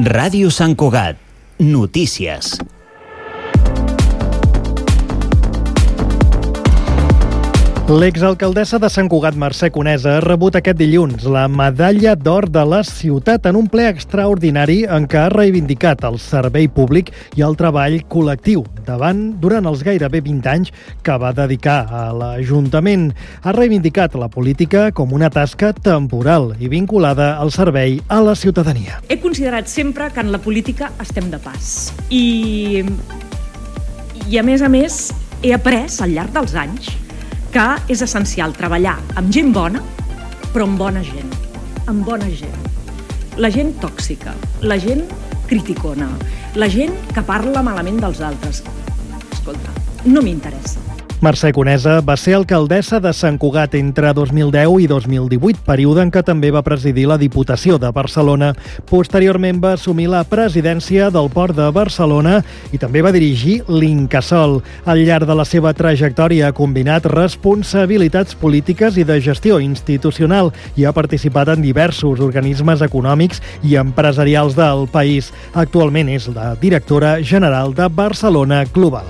Ràdio Sant Cugat. Notícies. L'exalcaldessa de Sant Cugat, Mercè Conesa, ha rebut aquest dilluns la Medalla d'Or de la Ciutat en un ple extraordinari en què ha reivindicat el servei públic i el treball col·lectiu durant els gairebé 20 anys que va dedicar a l'Ajuntament. Ha reivindicat la política com una tasca temporal i vinculada al servei a la ciutadania. He considerat sempre que en la política estem de pas. I a més, he après al llarg dels anys que és essencial treballar amb gent bona, però amb bona gent. Amb bona gent. La gent tòxica, la gent criticona, la gent que parla malament dels altres. Escolta, no m'interessa. Mercè Conesa va ser alcaldessa de Sant Cugat entre 2010 i 2018, període en què també va presidir la Diputació de Barcelona. Posteriorment va assumir la presidència del Port de Barcelona i també va dirigir l'Incasòl. Al llarg de la seva trajectòria ha combinat responsabilitats polítiques i de gestió institucional i ha participat en diversos organismes econòmics i empresarials del país. Actualment és la directora general de Barcelona Global.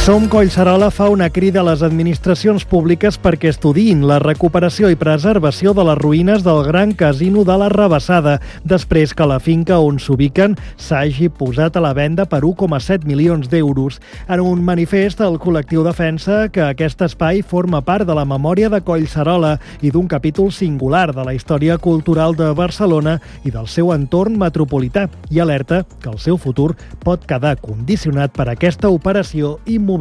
Som Collserola fa una crida a les administracions públiques perquè estudiïn la recuperació i preservació de les ruïnes del Gran Casino de la Rabassada, després que la finca on s'ubiquen s'hagi posat a la venda per 1,7 milions d'euros. En un manifest, el col·lectiu defensa que aquest espai forma part de la memòria de Collserola i d'un capítol singular de la història cultural de Barcelona i del seu entorn metropolità, i alerta que el seu futur pot quedar condicionat per aquesta operació immobiliària.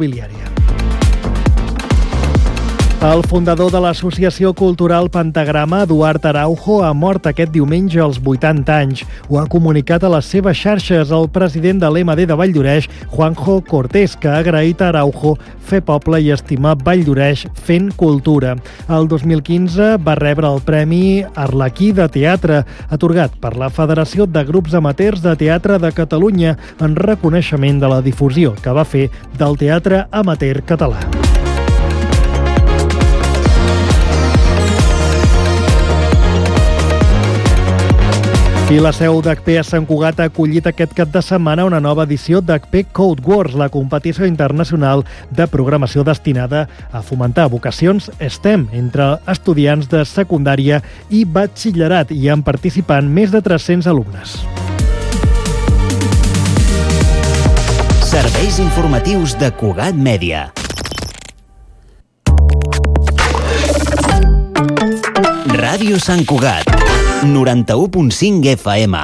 El fundador de l'Associació Cultural Pentagrama, Eduard Araujo, ha mort aquest diumenge als 80 anys. Ho ha comunicat a les seves xarxes el president de l'EMD de Valldoreix, Juanjo Cortés, que ha agraït a Araujo fer poble i estimar Valldoreix fent cultura. El 2015 va rebre el Premi Arlequí de Teatre, atorgat per la Federació de Grups Amateurs de Teatre de Catalunya, en reconeixement de la difusió que va fer del teatre amateur català. I la seu d'HP a Sant Cugat ha acollit aquest cap de setmana una nova edició d'HP Code Wars, la competició internacional de programació destinada a fomentar vocacions STEM entre estudiants de secundària i batxillerat. Hi han participant més de 300 alumnes. Serveis informatius de Cugat Mèdia. Ràdio Sant Cugat. 91.5 FM.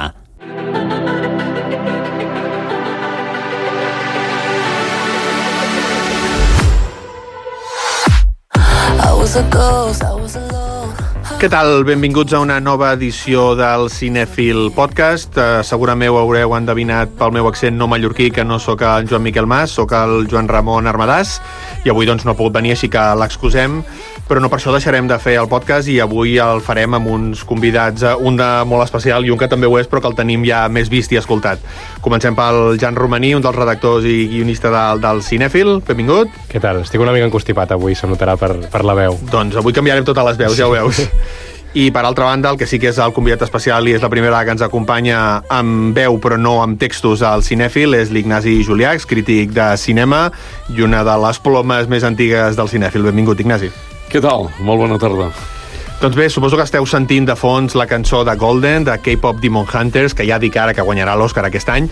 Què tal? Benvinguts a una nova edició del Cinèfil Podcast. Segurament ho haureu endevinat pel meu accent no mallorquí, que no sóc el Joan Miquel Mas, sóc el Joan Ramon Armadàs, i avui doncs no ha pogut venir, així que l'excusem, però no per això deixarem de fer el podcast, i avui el farem amb uns convidats, un de molt especial i un que també ho és, però que el tenim ja més vist i escoltat. Comencem pel Jan Romaní, un dels redactors i guionista del Cinèfil. Benvingut. Què tal? Estic una mica encostipat avui, se'm notarà per la veu. Doncs avui canviarem totes les veus, ja ho veus. I per altra banda, el que sí que és el convidat especial i és la primera que ens acompanya amb veu però no amb textos al Cinèfil és l'Ignasi Juliacs, crític de cinema i una de les plomes més antigues del Cinèfil. Benvingut, Ignasi. Què tal? Molt bona tarda. Doncs bé, suposo que esteu sentint de fons la cançó de Golden, de K-Pop Demon Hunters, que ja dic ara que guanyarà l'Oscar aquest any,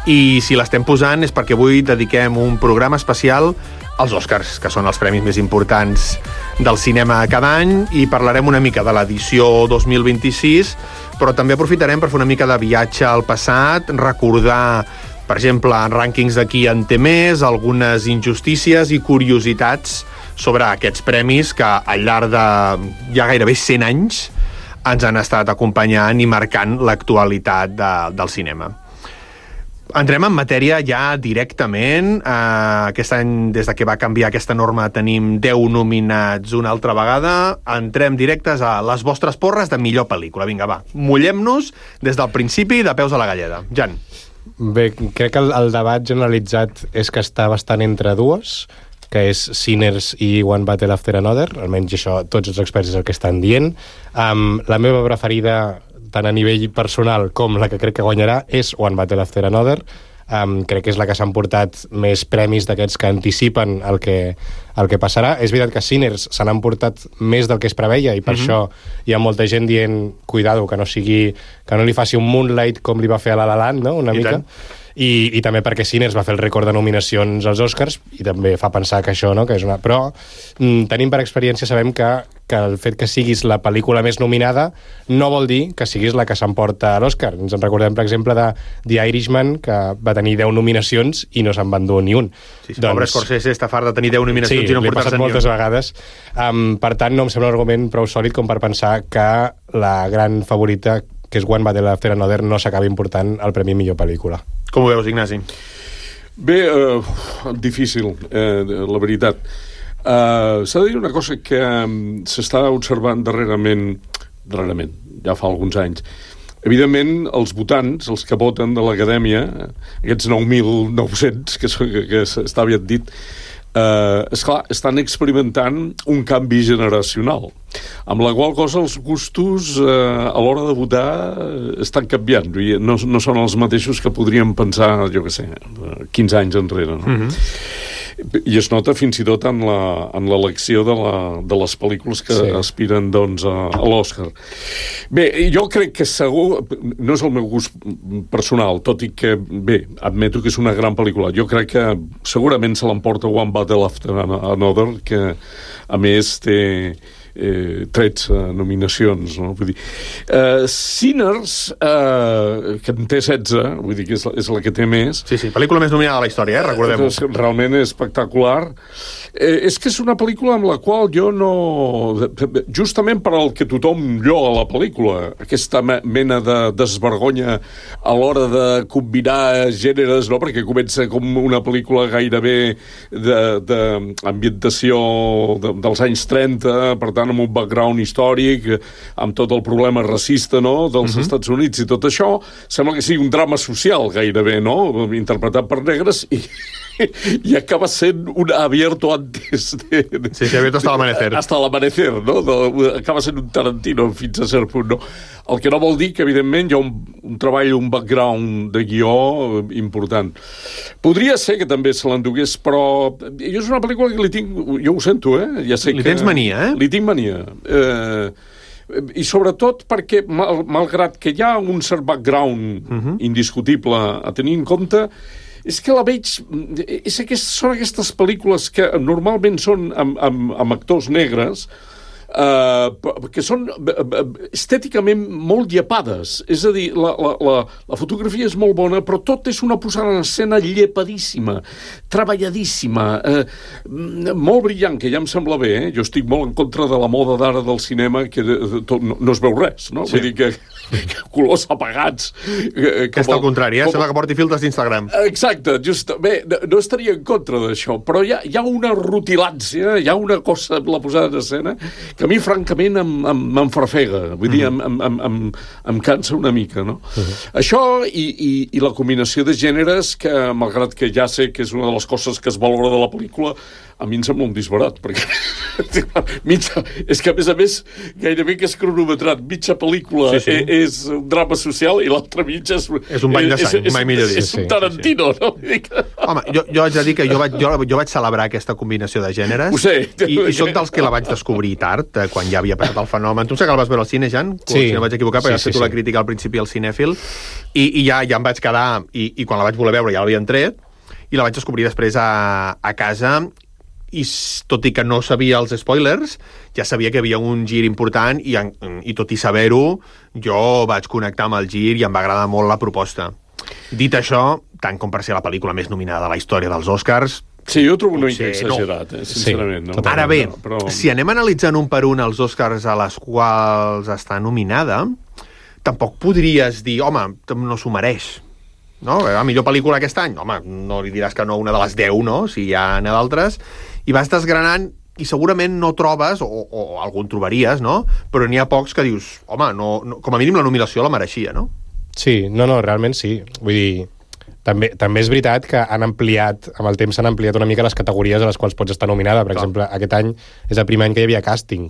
i si l'estem posant és perquè avui dediquem un programa especial als Oscars, que són els premis més importants del cinema cada any, i parlarem una mica de l'edició 2026, però també aprofitarem per fer una mica de viatge al passat, recordar, per exemple, rànquings de qui en té més, algunes injustícies i curiositats sobre aquests premis que al llarg de ja gairebé 100 anys ens han estat acompanyant i marcant l'actualitat del cinema. Entrem en matèria ja directament. Aquest any, des de que va canviar aquesta norma, tenim 10 nominats una altra vegada. Entrem directes a les vostres porres de millor pel·lícula. Vinga, va, mullem-nos des del principi de peus a la galleda. Jan. Bé, crec que el debat generalitzat és que està bastant entre dues. que és Sinners i One Battle After Another, almenys això tots els experts és el que estan dient. La meva preferida, tant a nivell personal com la que crec que guanyarà, és One Battle After Another. Crec que és la que s'han portat més premis d'aquests que anticipen el que passarà. És veritat que Sinners se n'han portat més del que es preveia i per això hi ha molta gent dient cuidado, que no li faci un Moonlight com li va fer a La La Land, no? Una mica. I també perquè Sinners va fer el rècord de nominacions als Oscars i també fa pensar que això, no? Que és una... Però tenim per experiència, sabem que el fet que siguis la pel·lícula més nominada no vol dir que siguis la que s'emporta a l'Oscar. Ens en recordem, per exemple, de The Irishman, que va tenir 10 nominacions i no se'n va endur ni un. Sí, pobre Scorsese està fart de tenir 10 nominacions i no portar-se ni un. Moltes vegades. Per tant, no em sembla un argument prou sòlid com per pensar que la gran favorita, que és One Battle After Another, no s'acabi important el premi millor pel·lícula. Com ho veus, Ignasi? Bé, difícil, la veritat. S'ha de dir una cosa que s'està observant darrerament, ja fa alguns anys. Evidentment, els votants, els que voten de l'Acadèmia, aquests 9.900, que està aviat dit, esclar, estan experimentant un canvi generacional, amb la qual cosa els gustos a l'hora de votar estan canviant, no són els mateixos que podríem pensar, jo què sé, 15 anys enrere, no? I es nota fins i tot en l'elecció de les pel·lícules que aspiren, doncs, a l'Oscar. Bé, jo crec que segur, no és el meu gust personal, tot i que, bé, admeto que és una gran pel·lícula. Jo crec que segurament se l'emporta One Battle After Another, que a més té 13 nominacions, no? Vull dir, Sinners, que en té 16, vull dir que és la que té més. Sí, pel·lícula més nominada de la història, recordem-ho. Realment és espectacular. És que és una pel·lícula amb la qual jo no... Justament per al que tothom lloa a la pel·lícula, aquesta mena de desvergonya a l'hora de combinar gèneres, no? Perquè comença com una pel·lícula gairebé d'ambientació dels anys 30, per tant, amb un background històric, amb tot el problema racista, no?, dels Estats Units i tot això, sembla que sigui un drama social gairebé, no?, interpretat per negres i acaba sent un abierto antes de... Sí, abierto hasta l'amanecer. Hasta l'amanecer, no? Acaba sent un Tarantino fins a cert punt, no? El que no vol dir que, evidentment, hi ha un treball, un background de guió important. Podria ser que també se l'endugués, però jo és una pel·lícula que li tinc... Jo ho sento, Ja sé li tens mania, Li tinc mania. I sobretot perquè, malgrat que hi ha un cert background indiscutible a tenir en compte, és que la veig... Són aquestes pel·lícules que normalment són amb actors negres, que són estèticament molt llepades. És a dir, la fotografia és molt bona, però tot és una posada en escena llepadíssima, treballadíssima, molt brillant, que ja em sembla bé, Jo estic molt en contra de la moda d'ara del cinema, que no es veu res, no? Vull dir que colors apagats... Que és al contrari, sembla que porti filtres d'Instagram. Exacte, bé, no estaria en contra d'això, però hi ha una rutilància, hi ha una cosa amb la posada en escena que a mi, francament, m'enfarfega. Vull dir, em cansa una mica, no? Això i la combinació de gèneres, que, malgrat que ja sé que és una de les coses que es valora de la pel·lícula, a mi em sembla un disbarat, perquè és que, a més, gairebé que és cronometrat. Mitja pel·lícula és un drama social i l'altra mitja és un bany de sang, mai millor dit. És un Tarantino, no? Home, jo haig de dir que jo vaig celebrar aquesta combinació de gèneres. Ho sé. I soc dels que la vaig descobrir tard, quan ja havia passat el fenomen. Tu sé que el vas veure al cine, Jan? Sí. Si no vaig equivocar, perquè has fet la crítica al principi al cinèfil. I ja em vaig quedar, i quan la vaig voler veure ja l'havien tret, i la vaig descobrir després a casa, i tot i que no sabia els spoilers, ja sabia que hi havia un gir important i tot i saber-ho, jo vaig connectar amb el gir i em va agradar molt la proposta. Dit això, tant com per ser la pel·lícula més nominada de la història dels Oscars... Sí, jo trobo una mica exagerat, sincerament. No? Ara bé, si anem analitzant un per un els Oscars a les quals està nominada, tampoc podries dir, home, no s'ho mereix. No? La millor pel·lícula aquest any, home, no li diràs que no una de les 10, no? Si hi ha d'altres, i vas desgranant i segurament no trobes, o algun trobaries, no? Però n'hi ha pocs que dius, home, no, com a mínim la nominació la mereixia, no? Sí, no, realment sí. Vull dir, També és veritat que han ampliat, amb el temps s'han ampliat una mica les categories a les quals pots estar nominada. Per exemple, aquest any és el primer any que hi havia càsting.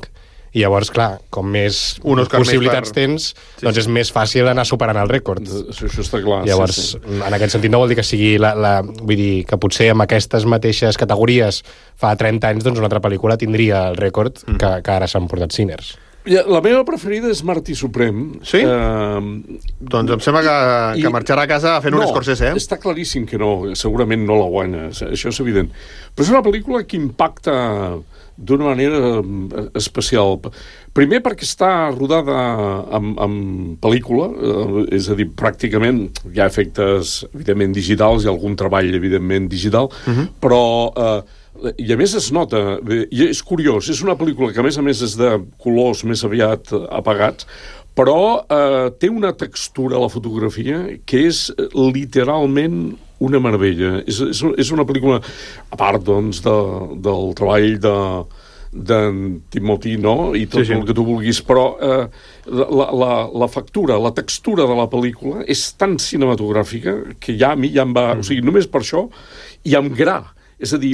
I llavors, clar, com més possibilitats tens, doncs és més fàcil anar superant el rècord. Això està clar. Llavors, en aquest sentit no vol dir que sigui vull dir que potser amb aquestes mateixes categories fa 30 anys doncs una altra pel·lícula tindria el rècord que ara s'han portat Sinners. La meva preferida és Martí Suprem. Sí? Doncs em sembla que marxarà a casa fent un Scorsese, Està claríssim que no, segurament no la guanya, això és evident. Però és una pel·lícula que impacta d'una manera especial. Primer perquè està rodada en pel·lícula, és a dir, pràcticament hi ha efectes, evidentment, digitals, hi ha algun treball, evidentment, digital, però... I a més es nota, i és curiós, és una pel·lícula que a més és de colors més aviat apagats, però té una textura a la fotografia que és literalment una meravella. És una pel·lícula, a part doncs, del treball d'en Timothy, no? I tot el que tu vulguis, però la factura, la textura de la pel·lícula és tan cinematogràfica que ja a mi ja em va... O sigui, només per això, i amb gra. És a dir,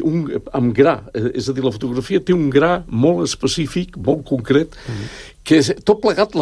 amb gra. És a dir, la fotografia té un gra molt específic, molt concret, que tot plegat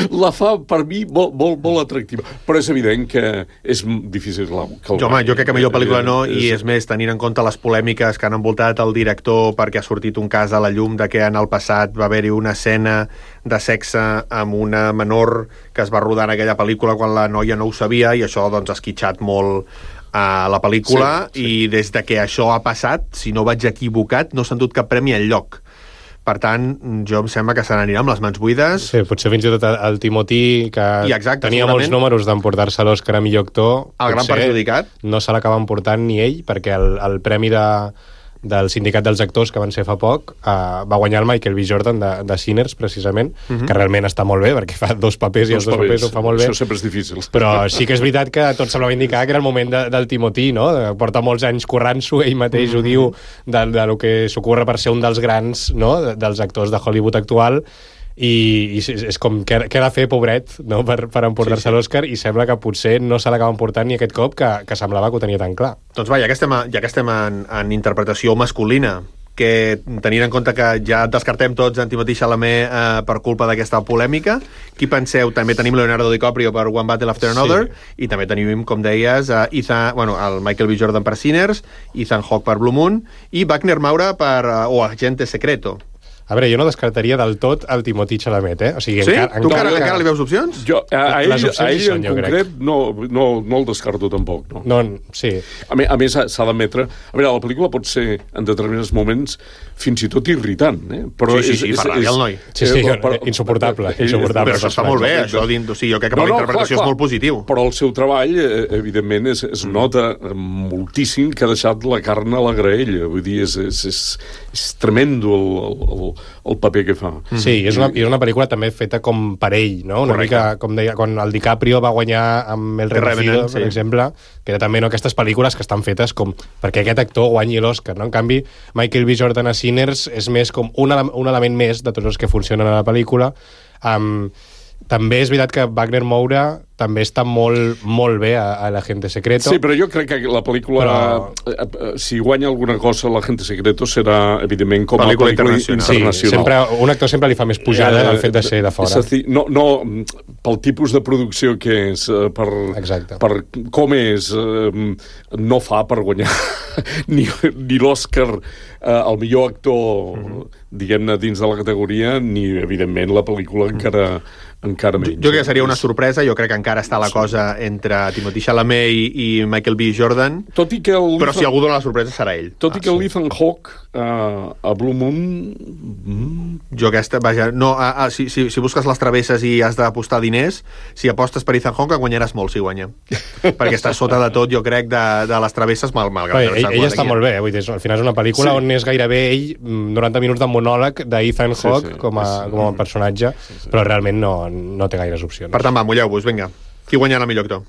la fa, per mi, molt atractiva. Però és evident que és difícil que home, jo crec que millor pel·lícula no, i és més, tenint en compte les polèmiques que han envoltat el director perquè ha sortit un cas a la llum de que en el passat va haver-hi una escena de sexe amb una menor que es va rodar en aquella pel·lícula quan la noia no ho sabia, i això doncs ha esquitxat molt a la pel·lícula, i des de que això ha passat, si no vaig equivocat, no s'ha endut cap premi enlloc. Per tant, jo em sembla que se n'anirà amb les mans buides. Sí, potser fins i tot el Timothy, que tenia molts números d'emportar-se l'Òscar a millor actor, el gran perjudicat. No se l'acaba emportant ni ell, perquè el premi del Sindicat dels Actors, que van ser fa poc, va guanyar el Michael B. Jordan de Sinners, precisament, que realment està molt bé, perquè fa dos papers i els dos papers ho fa molt bé. Això sempre és difícil. Però sí que és veritat que tot semblava indicar que era el moment del Timothy, no? Porta molts anys currant-s'ho, ell mateix ho diu, de lo que s'ocorre per ser un dels grans, no?, dels actors de Hollywood actual, i és com què ha de fer, pobret, no?, per emportar-se l'Òscar, i sembla que potser no se l'acaba emportant ni aquest cop, que semblava que ho tenia tan clar. Doncs va, ja que estem en interpretació masculina, que tenint en compte que ja descartem tots en Timothée Chalamet per culpa d'aquesta polèmica, qui penseu? També tenim Leonardo DiCaprio per One Battle After Another, i també tenim, com deies, el Michael B. Jordan per Sinners, Ethan Hawke per Blue Moon, i Wagner Moura per Agente Secreto. A veure, jo no descartaria del tot el Timothée Chalamet, eh? O sigui, sí? Tu encara li veus opcions? Jo, a ell en concret no el descarto tampoc. No, sí. A més, s'ha d'admetre... A veure, la pel·lícula pot ser, en determinats moments, fins i tot irritant, eh? Però sí, fa ràbia el noi. Sí, insuportable. Però això està molt bé, això. O sigui, jo crec que la interpretació és molt positiu. Però el seu treball, evidentment, es nota moltíssim que ha deixat la carn a la graella. Vull dir, és tremendo el paper que fa. Sí, és una pel·lícula també feta com per ell, no? Una mica, com deia, quan el DiCaprio va guanyar amb El Renacido, per exemple, que era també aquestes pel·lícules que estan fetes com perquè aquest actor guanyi l'Òscar, no? En canvi, Michael B. Jordan a Sinners és més com un element més de tots els que funcionen a la pel·lícula. També és veritat que Wagner Moura també està molt bé a l'Agente Secreto. Sí, però jo crec que la pel·lícula, si guanya alguna cosa l'Agente Secreto, serà, evidentment, com a pel·lícula internacional. Sí, un actor sempre li fa més pujada el fet de ser de fora. És a dir, no pel tipus de producció que és, per com és, no fa per guanyar ni l'Òscar al millor actor, diguem-ne, dins de la categoria, ni, evidentment, la pel·lícula encara menys. Jo crec que seria una sorpresa, jo crec que encara està la cosa entre Timothée Chalamet i Michael B. Jordan, però si algú dona la sorpresa serà ell. Tot i que l'Ethan Hawke a Blue Moon... Jo aquesta, vaja, no, si busques les travesses i has d'apostar diners, si apostes per Ethan Hawke guanyaràs molt si guanya. Perquè està sota de tot, jo crec, de les travesses, malgrat... Ell està molt bé, vull dir, al final és una pel·lícula on és gairebé ell 90 minuts de monòleg d'Ethan Hawke com a personatge, però realment no té gaires opcions. Per tant, va, mulleu-vos, vinga. Qui guanyarà el millor actor?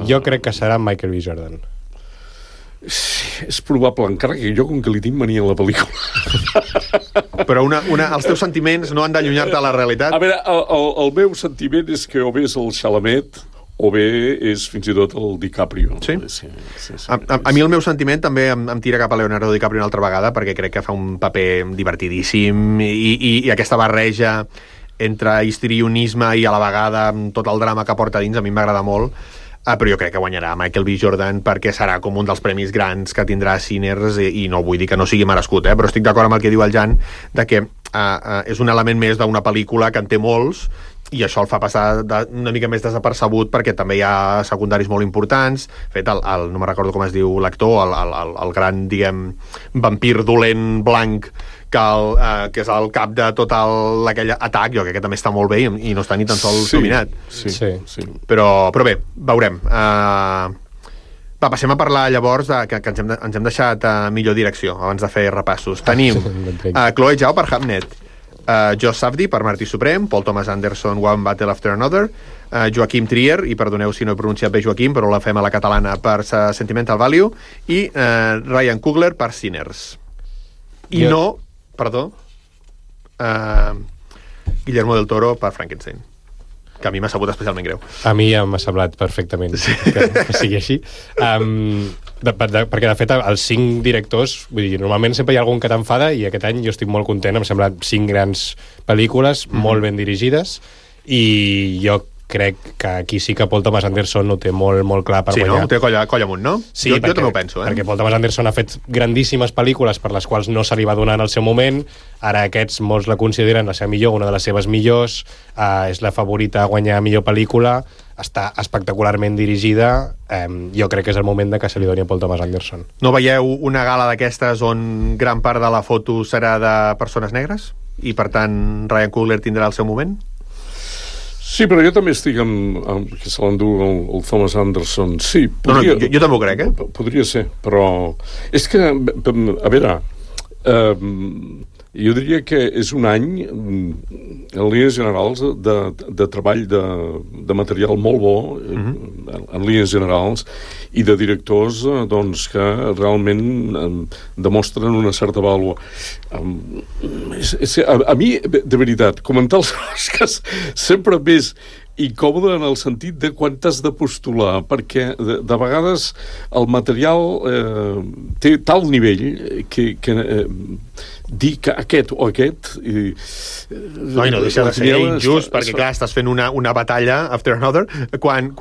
Jo crec que serà Michael B. Jordan. És probable, encara que jo, com que li tinc mania a la pel·lícula. Però els teus sentiments no han d'allunyar-te a la realitat? A veure, el meu sentiment és que o bé és el Chalamet o bé és fins i tot el DiCaprio. Sí? Sí. A mi el meu sentiment també em tira cap a Leonardo DiCaprio una altra vegada, perquè crec que fa un paper divertidíssim i aquesta barreja entre histrionisme i a la vegada tot el drama que porta dins a mi m'agrada molt. Però jo crec que guanyarà Michael B. Jordan perquè serà com un dels premis grans que tindrà Sinners i no vull dir que no sigui merescut, però estic d'acord amb el que diu el Jan de que és un element més d'una pel·lícula que en té molts i això el fa passar una mica més desapercebut perquè també hi ha secundaris molt importants. De fet, no me'n recordo com es diu l'actor, el gran, diguem, vampir dolent blanc que és el cap de tot aquell atac, jo crec que també està molt bé i no està ni tan sols nominat. Sí. Però bé, veurem. Passem a parlar llavors que ens hem deixat millor direcció abans de fer repassos. Tenim Chloe Zhao per Hamnet, Josh Safdie per Martí Suprem, Paul Thomas Anderson, One Battle After Another, Joaquim Trier, i perdoneu si no he pronunciat bé Joaquim, però la fem a la catalana, per Sentimental Value, i Ryan Coogler per Sinners. Guillermo del Toro per Frankenstein, que a mi m'ha sabut especialment greu. A mi ja m'ha semblat perfectament que sigui així. Perquè, de fet, els 5 directors, vull dir, normalment sempre hi ha algun que t'enfada i aquest any jo estic molt content, em sembla 5 grans pel·lícules, molt ben dirigides, i jo crec que aquí sí que Paul Thomas Anderson ho té molt, molt clar per guanyar. Sí, no? Ho té colla amunt, no? Sí, jo també ho penso, perquè Paul Thomas Anderson ha fet grandíssimes pel·lícules per les quals no se li va donar en el seu moment, ara aquests molts la consideren la seva millor, una de les seves millors, és la favorita a guanyar millor pel·lícula, està espectacularment dirigida, jo crec que és el moment de que se li doni a Paul Thomas Anderson. No veieu una gala d'aquestes on gran part de la foto serà de persones negres? I per tant Ryan Coogler tindrà el seu moment? Sí, però jo també estic amb que se l'endú el Thomas Anderson. Sí, podria, jo també ho crec, Podria ser, però... És que, a veure, jo diria que és un any, en línies generals, de treball de material molt bo, en línies generals, i de directors doncs, que realment demostren una certa vàlua. A mi, de veritat, comentar els Oscars sempre més incòmode en el sentit de quan t'has de postular, perquè de vegades el material té tal nivell que dir que aquest o aquest no deixa de ser injust perquè clar, estàs fent una batalla after another quan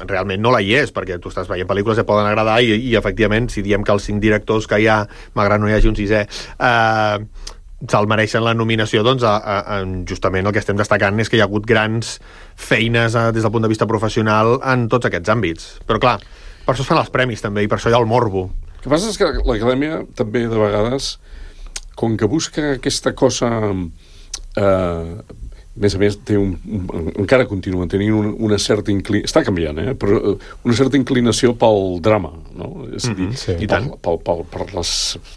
realment no la hi és, perquè tu estàs veient pel·lícules que poden agradar i efectivament si diem que els 5 directors que hi ha, malgrat no hi hagi un 6è se'l mereixen la nominació, doncs justament el que estem destacant és que hi ha hagut grans feines des del punt de vista professional en tots aquests àmbits, però clar per això es fan els premis també i per això hi ha el morbo. El que passa és que l'acadèmia també de vegades com que busca aquesta cosa a més té encara continua tenint una certa inclinació, està canviant, però una certa inclinació pel drama, no? És a dir, i tant. Per les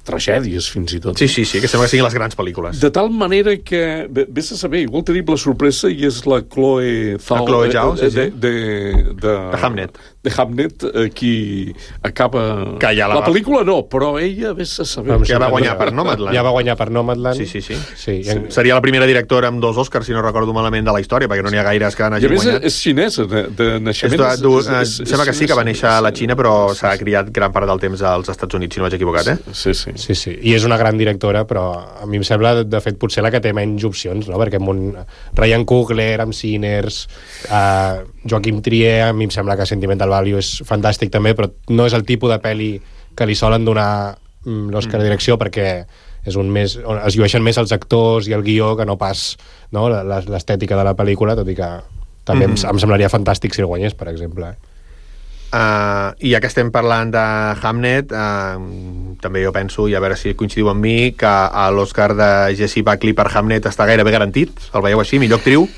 tragèdies fins i tot. Sí, que sembla que siguin les grans pel·lícules. De tal manera que, vés a saber, igual tenim la sorpresa i és la Chloe Zhao de Hamnet. De Hamnet, qui acaba... La pel·lícula no, però ella, vés a saber... Ja va guanyar per Nomadland. Ja va guanyar per Nomadland. Sí. Seria la primera directora amb 2 Oscars, si no recordo malament, de la història, perquè no n'hi ha gaires que n'hagin guanyat. I a més és xinesa, de naixement. Sembla que sí, que va néixer a la Xina, però s'ha criat gran part del temps als Estats Units, si no vaig equivocat, Sí. I és una gran directora, però a mi em sembla, de fet, potser la que té menys opcions, no? Perquè Ryan Coogler, amb Sinners, Joaquim Trier, a mi em sembla que Sentimental Value és fantàstic també, però no és el tipus de pel·li que li solen donar l'Oscar de direcció, perquè és es llueixen més els actors i el guió que no pas l'estètica de la pel·lícula, tot i que també em semblaria fantàstic si el guanyés, per exemple. I ja que estem parlant de Hamnet, també jo penso, i a veure si coincidiu amb mi, que l'Oscar de Jessie Buckley per Hamnet està gairebé garantit. El veieu així? Millor actriu?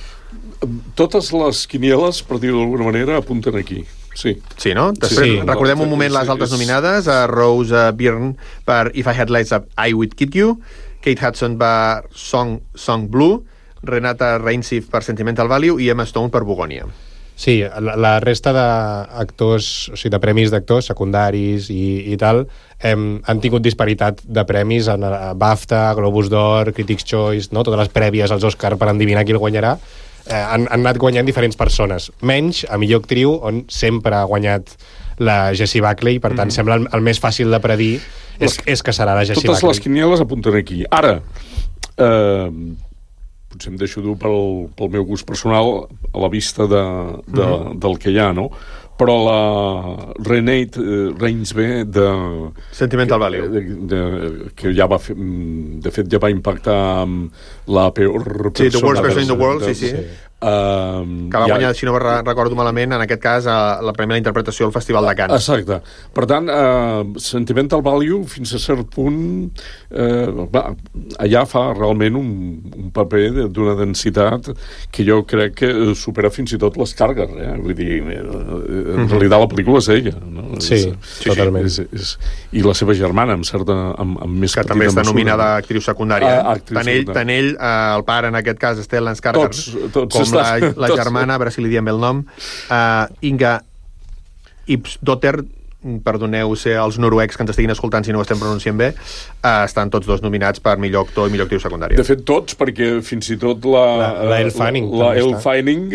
Totes les quinieles, per dir-ho d'alguna manera, apunten aquí. Sí, no? Després, recordem un moment les altres nominades, Rose Byrne per If I Had Lights Up, I Would Kid You, Kate Hudson per Song Blue, Renata Reinsif per Sentimental Value i Emma Stone per Begonia. Sí, la resta d'actors, o sigui, de premis d'actors secundaris i tal, han tingut disparitat de premis en BAFTA, Globus d'Or, Critics' Choice, no? Totes les prèvies als Oscar per endevinar qui el guanyarà. han anat guanyant diferents persones. Menys a millor actriu, on sempre ha guanyat la Jessie Buckley, per tant, sembla el més fàcil de predir és que serà la Jessie Buckley. Totes les quinieles apunten aquí. Ara, potser em deixo dur pel meu gust personal a la vista del que hi ha, no? Però la Renate Reinsve de Sentimental Value, que ja va fer, de fet ja va impactar amb la peor persona, The Worst Person in the World, sí. Que va guanyar, si no recordo malament, en aquest cas la premi a la interpretació al Festival de Cannes. Exacte. Per tant, Sentimental Value fins a cert punt allà fa realment un paper d'una densitat que jo crec que supera fins i tot les càrregues, vull dir, en realitat la pel·lícula és ella, no? Sí, totalment. I la seva germana amb més que també està nominada a actriu secundària. Tant ell, el pare en aquest cas, Stellan Skarsgård, com la germana, a veure si li diem bé el nom, Inga Ipsdotter, perdoneu ser els noruecs que ens estiguin escoltant si no ho estem pronunciant bé, estan tots dos nominats per millor actor i millor actriu secundària. De fet, tots, perquè fins i tot la Elle Fanning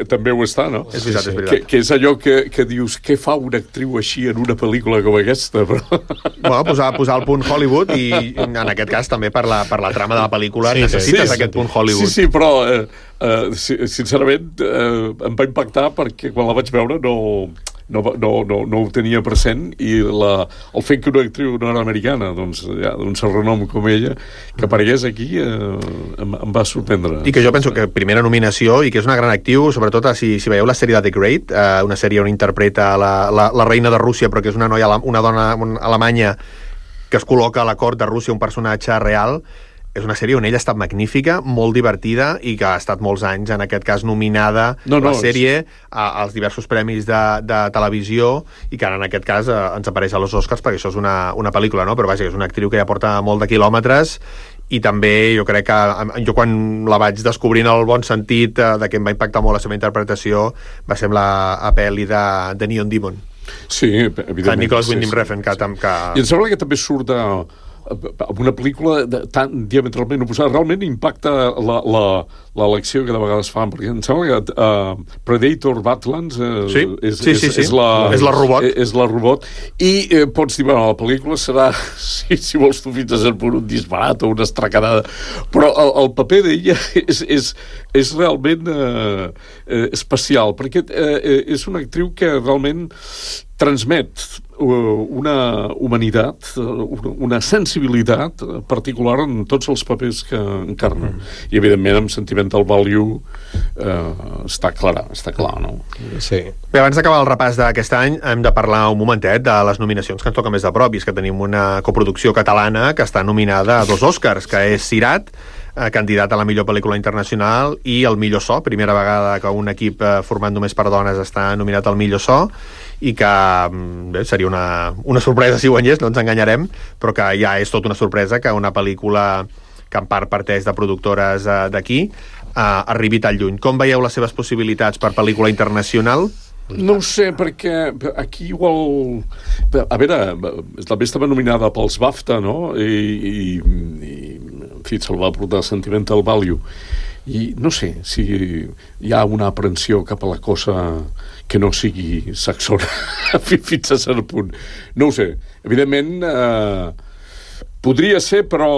també ho està, no? És veritat, és veritat. Que és allò que dius, què fa una actriu així en una pel·lícula com aquesta? Bueno, posar el punt Hollywood i en aquest cas també per la trama de la pel·lícula necessites aquest punt Hollywood. Sí, però sincerament em va impactar perquè quan la vaig veure no ho tenia present i el fet que una actriu nord-americana d'un cert renom com ella que aparegués aquí em va sorprendre. I que jo penso que primera nominació i que és una gran actriu, sobretot si veieu la sèrie de The Great, una sèrie on interpreta la reina de Rússia, però que és una dona alemanya que es col·loca a la cort de Rússia, un personatge real. És una sèrie on ella ha estat magnífica, molt divertida i que ha estat molts anys, en aquest cas, nominada la sèrie als diversos premis de televisió i que ara, en aquest cas, ens apareix a los Oscars perquè això és una pel·lícula, no? Però vaja, és una actriu que ja porta molt de quilòmetres i també jo crec que jo quan la vaig descobrir en el bon sentit de que em va impactar molt la seva interpretació va ser la pel·li de Neon Demon. Sí, evidentment. De Nicholas Winding Refn, que... I em sembla que també surt amb una pel·lícula tan diametralment oposada. Realment impacta l'elecció que de vegades fan, perquè em sembla que Predator Badlands és la robot. És la robot. I pots dir, bueno, la pel·lícula serà, si vols tu fins a cert punt, un disbarat o una estracanada, però el paper d'ella és realment especial, perquè és una actriu que realment transmet una humanitat, una sensibilitat particular en tots els papers que encarna. I, evidentment, amb Sentimental Value està clar, no? Sí. Bé, abans d'acabar el repàs d'aquest any, hem de parlar un momentet de les nominacions que ens toca més de prop, i és que tenim una coproducció catalana que està nominada a 2 Oscars, que és Sirat, candidat a la millor pel·lícula internacional, i el millor so, primera vegada que un equip format només per dones està nominat al millor so, i que bé, seria una sorpresa si guanyés, no ens enganyarem, però que ja és tot una sorpresa que una pel·lícula que en part parteix de productores d'aquí arribi tan lluny. Com veieu les seves possibilitats per pel·lícula internacional? No ho sé, perquè aquí igual... A veure, també estava nominada pels BAFTA, no? I en fi, se'l va portar Sentimental Value. I no sé si hi ha una aprensió cap a la cosa que no sigui saxona fins a cert punt. No ho sé. Evidentment, podria ser, però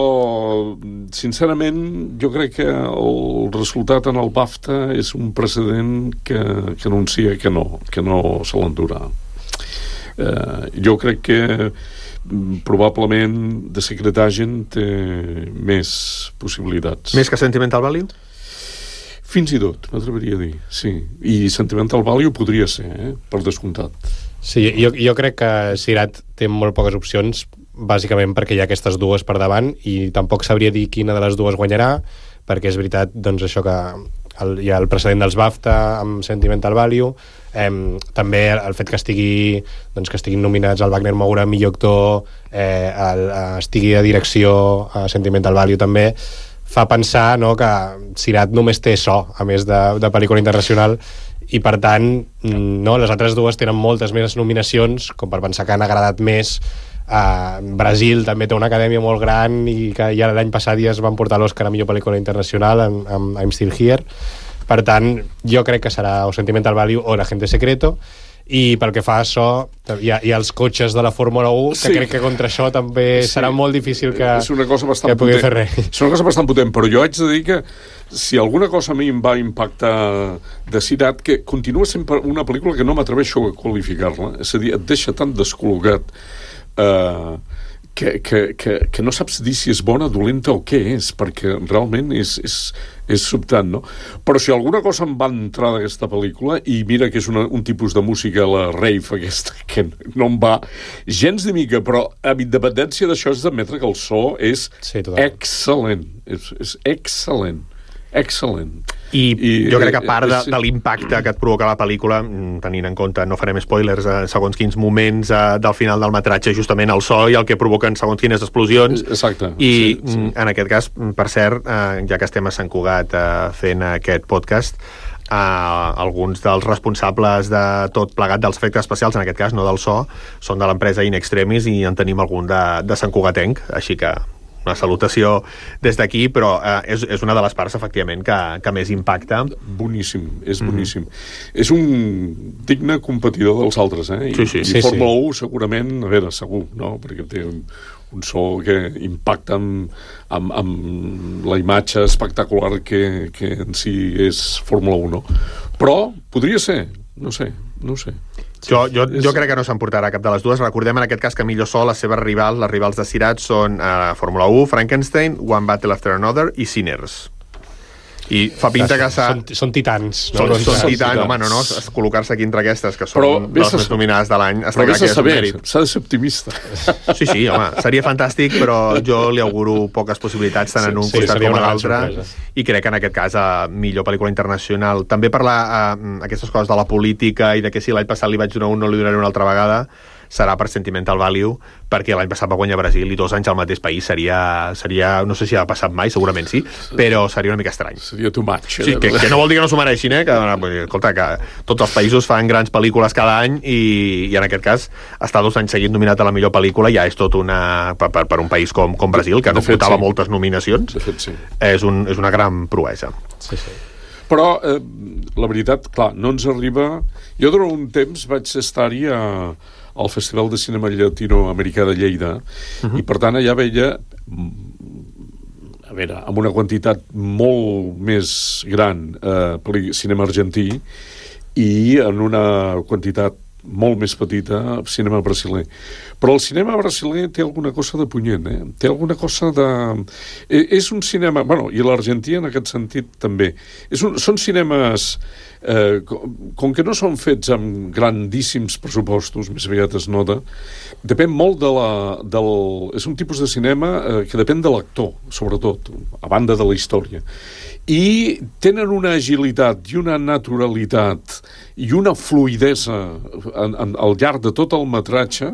sincerament jo crec que el resultat en el BAFTA és un precedent que anuncia que no se l'endurà. Jo crec que probablement The Secret Agent té més possibilitats. Més que Sentimental Value? Fins i tot, m'atreviria a dir, sí. I Sentimental Value podria ser, per descomptat. Sí, jo crec que Sirat té molt poques opcions, bàsicament perquè hi ha aquestes dues per davant, i tampoc sabria dir quina de les dues guanyarà, perquè és veritat, doncs, això que hi ha el precedent dels BAFTA amb Sentimental Value, també el fet que estiguin nominats al Wagner Moura millor actor, estigui a direcció a Sentimental Value també, fa pensar, no, que Sirat només té so, a més de pel·lícula internacional, i per tant no, les altres dues tenen moltes més nominacions, com per pensar que han agradat més. Brasil també té una acadèmia molt gran i que ja l'any passat ja es van portar l'Oscar a millor pel·lícula internacional amb I'm Still Here. Per tant, jo crec que serà o Sentimental Value o Agente Secreto, i pel que fa a això hi ha els cotxes de la Fórmula 1 que crec que contra això també serà molt difícil que pugui fer res. És una cosa bastant potent, però jo haig de dir que si alguna cosa a mi em va impactar de Sirat, que continua sent una pel·lícula que no m'atreveixo a qualificar-la, és a dir, et deixa tan descol·locat que no saps dir si és bona, dolenta o què és, perquè realment és sobtant, no? Però si alguna cosa em va entrar d'aquesta pel·lícula, i mira que és un tipus de música, la rave aquesta, que no em va gens de mica, però amb independència d'això és d'admetre que el so és excel·lent. És excel·lent. Excel·lent. I jo crec que a part de l'impacte que et provoca la pel·lícula, tenint en compte, no farem spoilers, segons quins moments del final del metratge, justament el so i el que provoquen segons quines explosions. Exacte. I en aquest cas, per cert, ja que estem a Sant Cugat fent aquest podcast, alguns dels responsables de tot plegat dels efectes especials, en aquest cas no del so, són de l'empresa In Extremis, i en tenim algun de Sant Cugatenc, així que una salutació des d'aquí, però és una de les parts, efectivament, que més impacta. Boníssim, és boníssim. És un digne competidor dels altres, eh? I Fórmula 1 segurament, a veure, segur, no? Perquè té un so que impacta amb la imatge espectacular que en si és Fórmula 1, no? Però podria ser, no sé. Jo crec que no s'emportarà cap de les dues. Recordem en aquest cas que millor so les seves rivals, les rivals de Sirat, són Fórmula 1, Frankenstein, One Battle After Another i Sinners. I fa pinta que són titans. Són titans, home, no, col·locar-se aquí entre aquestes, que són les més nominades de l'any. Però vés a saber, s'ha de ser optimista. Sí, home, seria fantàstic, però jo li auguro poques possibilitats tant en un costat com a l'altre, i crec que en aquest cas millor pel·lícula internacional. També parlar aquestes coses de la política i de que si l'any passat li vaig donar un, no li donaré una altra vegada, serà per Sentimental Value, perquè l'any passat va guanyar Brasil i 2 anys al mateix país seria no sé si ha passat mai, segurament sí, però seria una mica estrany. Seria too much. Sí, que no vol dir que no s'ho mereixin, que, escolta, que tots els països fan grans pel·lícules cada any i en aquest cas estar 2 anys seguint nominat a la millor pel·lícula ja és tot per un país com Brasil, que no portava moltes nominacions. De fet, sí. És una gran proesa. Sí. Però, la veritat, clar, no ens arriba... Jo durant un temps vaig estar-hi al Festival de Cinema Llatinoamericà de Lleida, i per tant allà veia, a veure, amb una quantitat molt més gran cinema argentí i en una quantitat molt més petita cinema brasiler. Però el cinema brasiler té alguna cosa de punyent, té alguna cosa de... És un cinema... Bueno, i l'argentí en aquest sentit també. Són cinemes... com que no són fets amb grandíssims pressupostos, més aviat es nota, depèn molt és un tipus de cinema que depèn de l'actor, sobretot, a banda de la història. I tenen una agilitat i una naturalitat i una fluïdesa al llarg de tot el metratge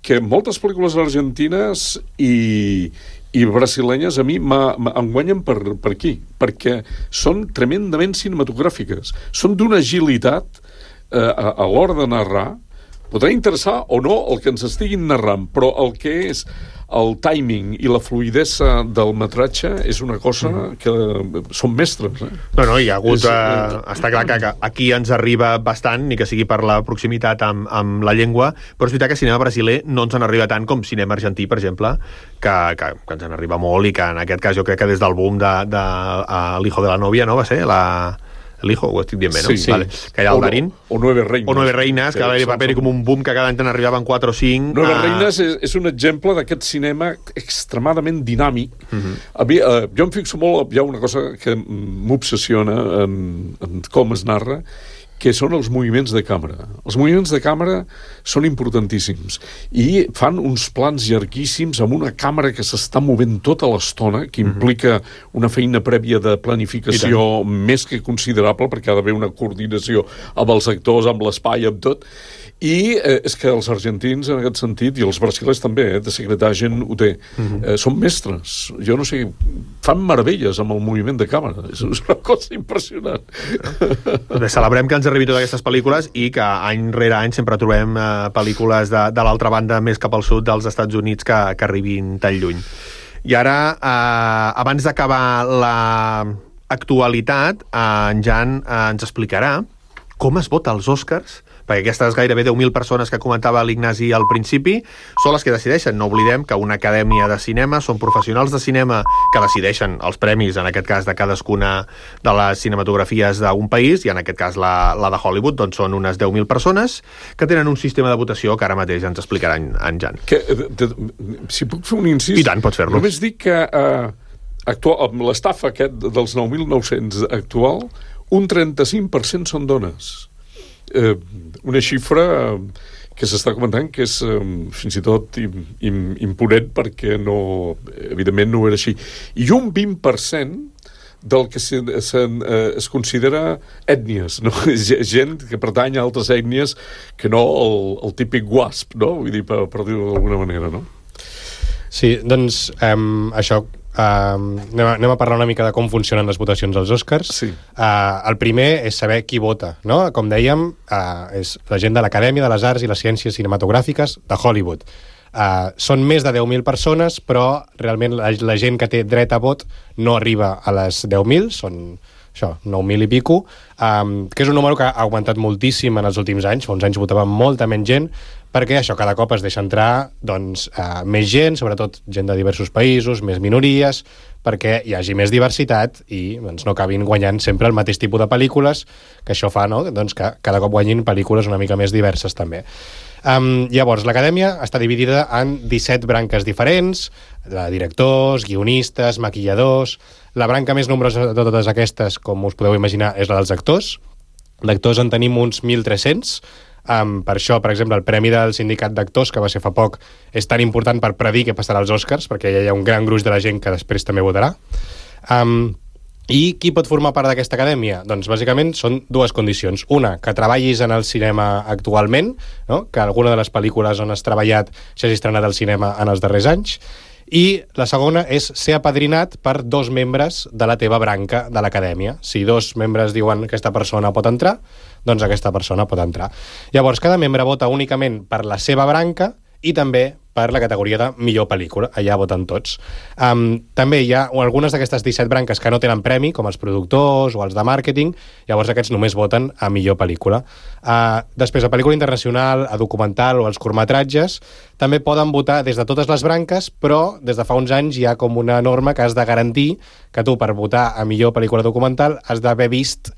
que moltes pel·lícules argentines i brasilenyes a mi em guanyen per aquí, perquè són tremendament cinematogràfiques, són d'una agilitat a l'hora de narrar. Podrà interessar o no el que ens estiguin narrant, però el que és el timing i la fluïdesa del metratge és una cosa que són mestres. No, hi ha hagut... està clar que aquí ens arriba bastant, ni que sigui per la proximitat amb la llengua, però és veritat que cinema brasiler no ens en arriba tant com cinema argentí, per exemple, que ens en arriba molt, i que en aquest cas jo crec que des del boom de l'Hijo de la Novia, no va ser? El Hijo, ho estic dient bé, no? Sí. Vale. Que hi ha el Darín. O Nueve Reinas. O Nueve Reinas, que va haver paper com un boom que cada any n'arribaven 4 o 5. Nueve Reinas és un exemple d'aquest cinema extremadament dinàmic. A mi, jo em fixo molt, hi ha una cosa que m'obsessiona en com es narra, que són els moviments de càmera. Els moviments de càmera són importantíssims i fan uns plans llarguíssims amb una càmera que s'està movent tota l'estona, que implica una feina prèvia de planificació més que considerable, perquè ha d'haver una coordinació amb els actors, amb l'espai, amb tot. I és que els argentins, en aquest sentit, i els brasilers també, de secretagen ho té, són mestres. Jo no sé, fan meravelles amb el moviment de càmera. És una cosa impressionant. Celebrem que ens arribi totes aquestes pel·lícules i que any rere any sempre trobem pel·lícules de l'altra banda, més cap al sud dels Estats Units, que arribin tan lluny. I ara, abans d'acabar actualitat, en Jan ens explicarà com es vota als Oscars, perquè aquestes gairebé 10.000 persones que comentava l'Ignasi al principi són les que decideixen. No oblidem que una acadèmia de cinema són professionals de cinema que decideixen els premis, en aquest cas de cadascuna de les cinematografies d'un país, i en aquest cas la de Hollywood, doncs són unes 10.000 persones que tenen un sistema de votació que ara mateix ens explicarà en Jan. Si puc fer un incís... I tant, pots fer-lo. Només dic que amb l'estaf aquest dels 9.900 actual, un 35% són dones. Una xifra que s'està comentant que és fins i tot imponent, perquè evidentment no era així. I un 20% del que es considera ètnies, no? Gent que pertany a altres ètnies que no el típic WASP, no? Vull dir, per dir-ho d'alguna manera, no? Sí, doncs això... anem a parlar una mica de com funcionen les votacions als Oscars. Sí. El primer és saber qui vota, no? Com dèiem, és la gent de l'Acadèmia de les Arts i les Ciències Cinematogràfiques de Hollywood. Són més de 10.000 persones, però realment la gent que té dret a vot no arriba a les 10.000, són això, 9.000 i pico, que és un número que ha augmentat moltíssim en els últims anys. Fa uns anys votava molta menys gent, perquè això cada cop es deixa entrar més gent, sobretot gent de diversos països, més minories, perquè hi hagi més diversitat i no acabin guanyant sempre el mateix tipus de pel·lícules, que això fa que cada cop guanyin pel·lícules una mica més diverses també. Llavors, l'Acadèmia està dividida en 17 branques diferents, de directors, guionistes, maquilladors. La branca més nombrosa de totes aquestes, com us podeu imaginar, és la dels actors. D'actors en tenim uns 1.300. Per això, per exemple, el Premi del Sindicat d'Actors, que va ser fa poc, és tan important per predir què passarà als Oscars, perquè ja hi ha un gran gruix de la gent que després també votarà. I qui pot formar part d'aquesta acadèmia? Doncs bàsicament són dues condicions. Una, que treballis en el cinema actualment, no? Que alguna de les pel·lícules on has treballat s'hagi estrenat al cinema en els darrers anys. I la segona és ser apadrinat per 2 membres de la teva branca de l'acadèmia. Si 2 membres diuen que aquesta persona pot entrar, doncs aquesta persona pot entrar. Llavors, cada membre vota únicament per la seva branca i també per la categoria de millor pel·lícula. Allà voten tots. També hi ha algunes d'aquestes 17 branques que no tenen premi, com els productors o els de màrqueting, llavors aquests només voten a millor pel·lícula. Després, a pel·lícula internacional, a documental o als curtmetratges, també poden votar des de totes les branques, però des de fa uns anys hi ha com una norma que has de garantir que tu, per votar a millor pel·lícula documental, has d'haver vist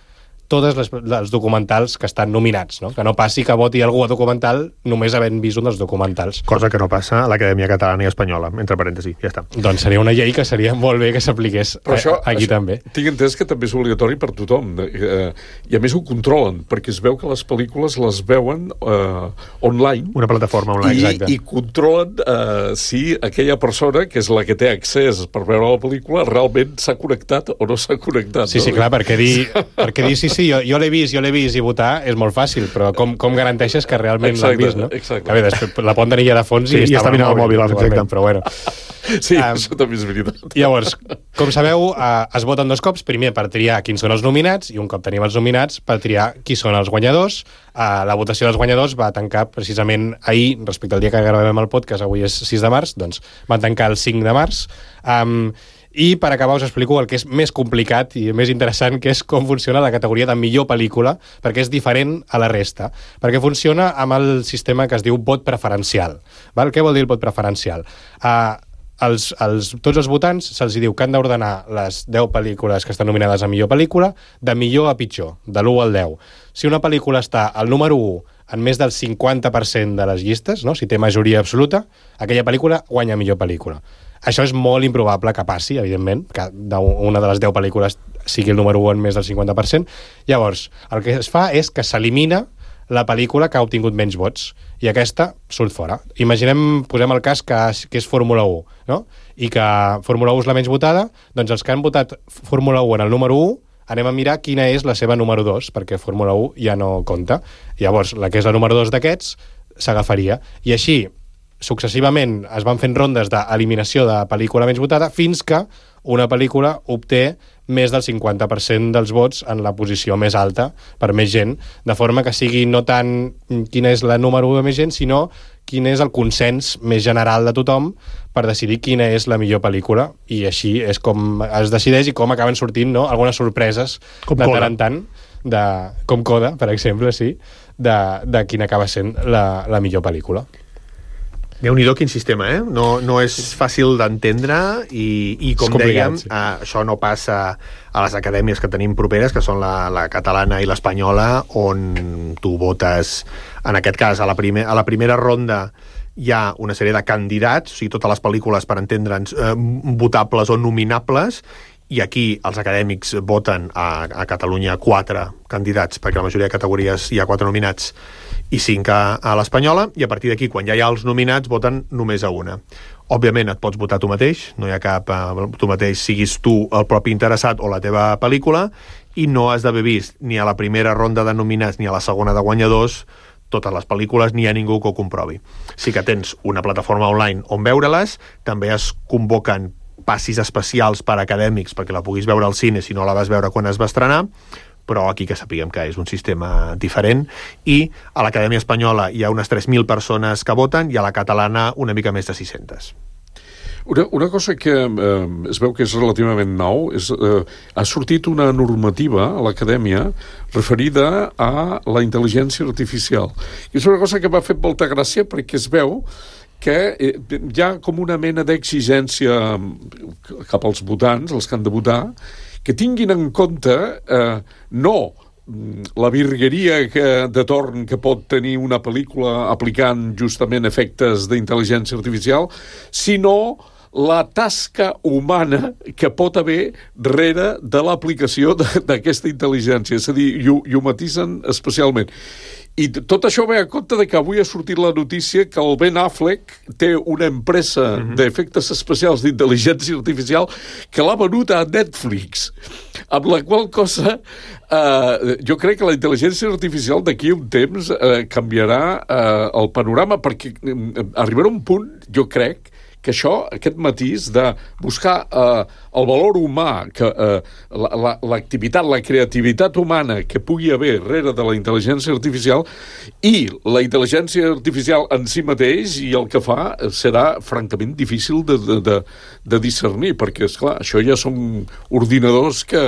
tots els documentals que estan nominats, no? Que no passi que voti algú a documental només havent vist un dels documentals. Cosa que no passa a l'Acadèmia Catalana i Espanyola, entre parèntesis, ja està. Doncs seria una llei que seria molt bé que s'apliqués aquí també. Tinc entès que també és obligatori per tothom, i a més ho controlen, perquè es veu que les pel·lícules les veuen online. Una plataforma online, exacte. I controlen si aquella persona, que és la que té accés per veure la pel·lícula, realment s'ha connectat o no s'ha connectat. Sí, clar, perquè dir sí, jo l'he vist i votar és molt fàcil, però com garanteixes que realment l'han vist, no? Exacte. A veure, després la poden tenir ja de fons i està mirant el mòbil, exacte. Però bueno. Sí, això també és veritat. Llavors, com sabeu, es voten 2 cops, primer per triar quins són els nominats, i un cop tenim els nominats per triar qui són els guanyadors. La votació dels guanyadors va tancar precisament ahir, respecte al dia que gravem el podcast, avui és 6 de març, doncs van tancar el 5 de març. I per acabar us explico el que és més complicat i més interessant, que és com funciona la categoria de millor pel·lícula, perquè és diferent a la resta. Perquè funciona amb el sistema que es diu vot preferencial. Val? Què vol dir el vot preferencial? Tots els votants se'ls diu que han d'ordenar les 10 pel·lícules que estan nominades a millor pel·lícula de millor a pitjor, de l'1 al 10. Si una pel·lícula està al número 1 en més del 50% de les llistes, no? Si té majoria absoluta, aquella pel·lícula guanya millor pel·lícula. Això és molt improbable que passi, evidentment, que una de les 10 pel·lícules sigui el número 1 en més del 50%. Llavors, el que es fa és que s'elimina la pel·lícula que ha obtingut menys vots, i aquesta surt fora. Posem el cas que és Fórmula 1, no? I que Fórmula 1 és la menys votada, doncs els que han votat Fórmula 1 en el número 1, anem a mirar quina és la seva número 2, perquè Fórmula 1 ja no compta. Llavors, la que és la número 2 d'aquests s'agafaria. I així, successivament, es van fent rondes d'eliminació de pel·lícula menys votada fins que una pel·lícula obté més del 50% dels vots en la posició més alta per més gent, de forma que sigui no tant quina és la número 1 de més gent, sinó quin és el consens més general de tothom per decidir quina és la millor pel·lícula, i així és com es decideix i com acaben sortint, no?, algunes sorpreses com de tant en tant, com Coda, per exemple, sí, de quina acaba sent la millor pel·lícula. Déu-n'hi-do, quin sistema, eh? No és fàcil d'entendre i com dèiem, sí. Això no passa a les acadèmies que tenim properes, que són la catalana i l'espanyola, on tu votes, en aquest cas, a la primera ronda hi ha una sèrie de candidats, o sigui, totes les pel·lícules, per entendre'ns, votables o nominables, i aquí els acadèmics voten a Catalunya 4 candidats, perquè la majoria de categories hi ha 4 nominats, i 5 a l'espanyola, i a partir d'aquí, quan ja hi ha els nominats, voten només a una. Òbviament et pots votar tu mateix, no hi ha cap... tu mateix siguis tu el propi interessat o la teva pel·lícula, i no has d'haver vist ni a la primera ronda de nominats ni a la segona de guanyadors totes les pel·lícules, ni hi ha ningú que ho comprovi. Sí que tens una plataforma online on veure-les, també es convoquen passis especials per acadèmics perquè la puguis veure al cine si no la vas veure quan es va estrenar, però aquí que sapiguem que és un sistema diferent, i a l'Acadèmia Espanyola hi ha unes 3.000 persones que voten i a la catalana una mica més de 600. Una cosa que es veu que és relativament nou és ha sortit una normativa a l'Acadèmia referida a la intel·ligència artificial. I és una cosa que m'ha fet molta gràcia perquè es veu que hi ha com una mena d'exigència cap als votants, els que han de votar, que tinguin en compte no la virgueria de torn que pot tenir una pel·lícula aplicant justament efectes d'intel·ligència artificial, sinó la tasca humana que pot haver darrere de l'aplicació d'aquesta intel·ligència. És a dir, i ho matisen especialment. I tot això ve a compte de que avui ha sortit la notícia que el Ben Affleck té una empresa d'efectes especials d'intel·ligència artificial que l'ha venut a Netflix, amb la qual cosa jo crec que la intel·ligència artificial d'aquí a un temps canviarà el panorama, perquè arribarà un punt, jo crec, que això, aquest matís de buscar el valor humà, que l'activitat, la creativitat humana que pugui haver darrere de la intel·ligència artificial, i la intel·ligència artificial en si mateix i el que fa serà francament difícil de discernir, perquè, esclar, això ja són ordinadors que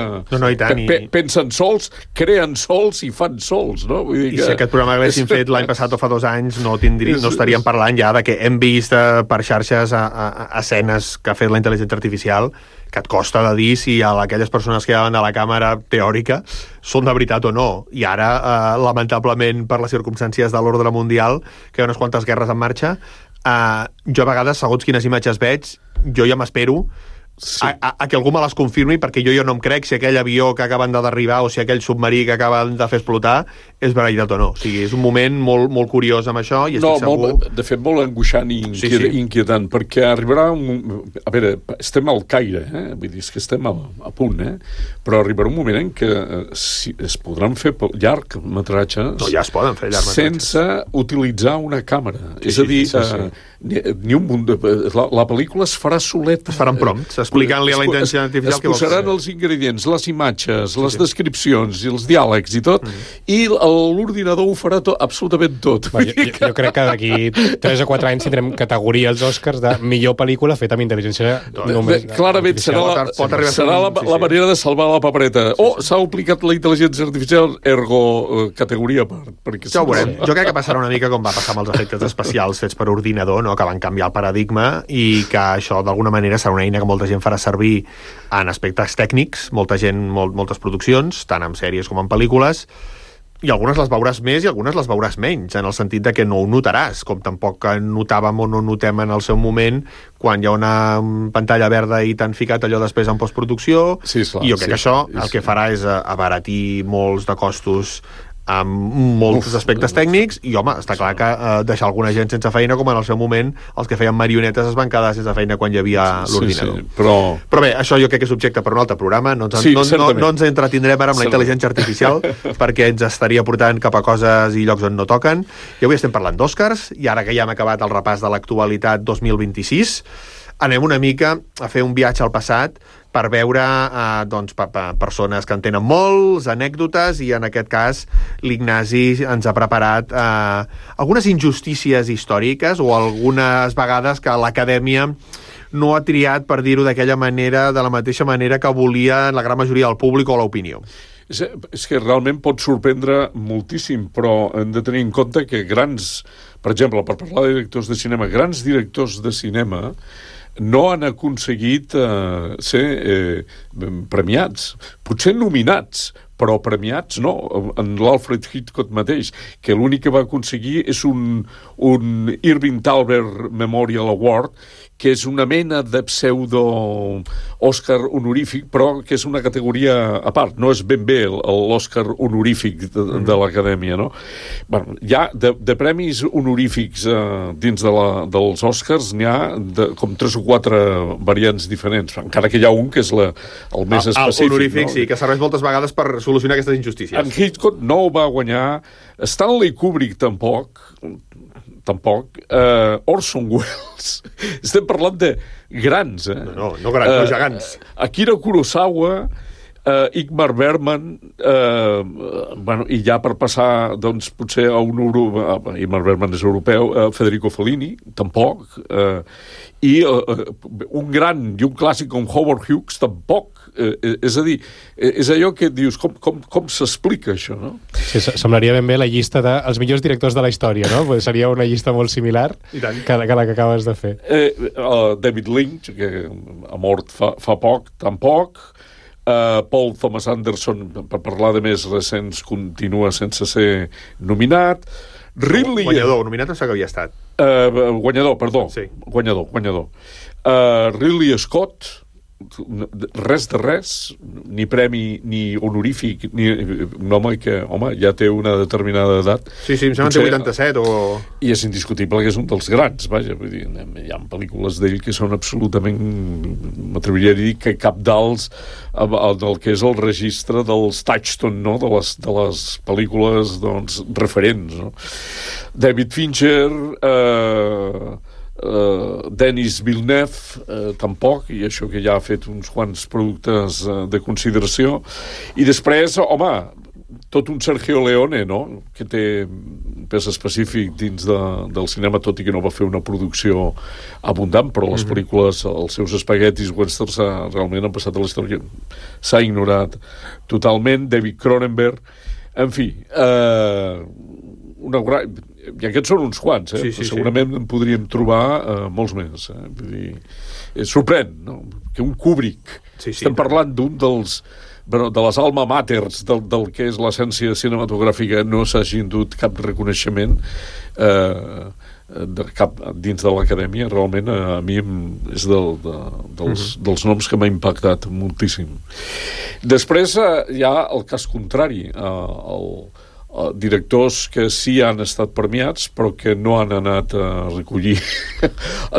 pensen sols, creen sols i fan sols, no? Vull dir que... I si aquest programa l'haguéssim fet l'any passat o fa 2 anys, no estaríem parlant ja de que hem vist per xarxes escenes que ha fet la intel·ligència artificial que et costa de dir si aquelles persones que hi ha de la càmera teòrica són de veritat o no. I ara, lamentablement, per les circumstàncies de l'ordre mundial, que hi ha unes quantes guerres en marxa, jo a vegades, segons quines imatges veig, jo ja m'espero a que algú me les confirmi, perquè jo no em crec si aquell avió que acaben de derribar o si aquell submarí que acaben de fer explotar és veritat o no. O sigui, és un moment molt, molt curiós amb això i estic segur... De fet, molt angoixant i inquietant, perquè arribarà a veure, estem al Caire, vull dir, és que estem a punt, però arribarà un moment en què es podran fer llargmetratges... No, ja es poden fer llargmetratges. Sense utilitzar una càmera. És a dir, ni un munt de... La pel·lícula es farà soleta. Es faran prompts, explicant-li a la intel·ligència artificial què vol fer. Es posaran els ingredients, les imatges, les descripcions i els diàlegs i tot, i l'ordinador ho farà absolutament tot. Jo crec que d'aquí 3 o 4 anys tindrem categoria als Oscars de millor pel·lícula feta amb intel·ligència només... Clarament serà la manera de salvar la papereta. S'ha aplicat la intel·ligència artificial, ergo categoria perquè... Ja ho veurem. Jo crec que passarà una mica com va passar amb els efectes especials fets per ordinador, no? Que van canviar el paradigma i que això d'alguna manera serà una eina que molta gent farà servir en aspectes tècnics, moltes produccions, tant en sèries com en pel·lícules, i algunes les veuràs més i algunes les veuràs menys, en el sentit de que no ho notaràs, com tampoc notàvem o no notem en el seu moment quan hi ha una pantalla verda i t'han ficat allò després en postproducció, i jo crec que això el que farà és abaratir molts de costos amb molts aspectes tècnics i, home, està clar que deixar alguna gent sense feina, com en el seu moment els que feien marionetes es van quedar sense feina quan hi havia l'ordinador. Però bé, això jo crec que és objecte per un altre programa, no ens entretindrem ara amb la intel·ligència artificial perquè ens estaria portant cap a coses i llocs on no toquen. I avui estem parlant d'Oscars, i ara que ja hem acabat el repàs de l'actualitat 2026, anem una mica a fer un viatge al passat per veure persones que en tenen molts, anècdotes, i en aquest cas l'Ignasi ens ha preparat algunes injustícies històriques o algunes vegades que l'Acadèmia no ha triat, per dir-ho d'aquella manera, de la mateixa manera que volia la gran majoria del públic o l'opinió. És que realment pot sorprendre moltíssim, però hem de tenir en compte que per exemple, per parlar de directors de cinema, grans directors de cinema no han aconseguit ser premiats. Potser nominats, però premiats no. En l'Alfred Hitchcock mateix, que l'únic que va aconseguir és un Irving Thalber Memorial Award, que és una mena de pseudo-Òscar honorífic, però que és una categoria a part. No és ben bé l'Òscar honorífic de l'Acadèmia, no? Bueno, ja de premis honorífics dins dels Òscars n'hi ha com 3 o 4 variants diferents, encara que hi ha un que és el més específic. El honorífic, no? sí, que serveix moltes vegades per solucionar aquestes injustícies. En Hitchcock no ho va guanyar, Stanley Kubrick tampoc, Orson Welles. Estem parlant de grans, No grans, no gegants. Akira Kurosawa, Ingmar Bergman, i ja per passar, doncs, potser a Ingmar Bergman és europeu, Federico Fellini, tampoc, i un gran i un clàssic com Howard Hughes, tampoc. És a dir, és allò que dius, com s'explica això, no? Sí, semblaria ben bé la llista dels millors directors de la història, no? Seria una llista molt similar que la que acabes de fer. David Lynch, que ha mort fa poc, tampoc. Paul Thomas Anderson, per parlar de més recents, continua sense ser nominat. Guanyador, nominat no sé que havia estat. Guanyador, perdó. Sí. Guanyador. Ridley Scott, res de res, ni premi ni honorífic, ni un home que, ja té una determinada edat. Sí, em sembla que té 87 o... I és indiscutible que és un dels grans, vaja, vull dir, hi ha pel·lícules d'ell que són absolutament, m'atreviria a dir, que capdals del que és el registre dels Touchstone, no?, de les pel·lícules, doncs, referents, no? David Fincher, Denis Villeneuve, tampoc, i això que ja ha fet uns quants productes de consideració. I després, tot un Sergio Leone, no?, que té pes específic dins del cinema, tot i que no va fer una producció abundant, però les pel·lícules, els seus espaguetis westerns realment han passat a la història. S'ha ignorat totalment. David Cronenberg, en fi, i aquests són uns quants, Sí. Segurament en podríem trobar molts més. Vull dir, sorprèn, no?, que un Kubrick, estem parlant d'un de les alma maters del que és l'essència cinematogràfica, no s'hagi endut cap reconeixement dins de l'Acadèmia. Realment a mi és dels noms que m'ha impactat moltíssim. Després hi ha el cas contrari, directors que sí han estat premiats però que no han anat a recollir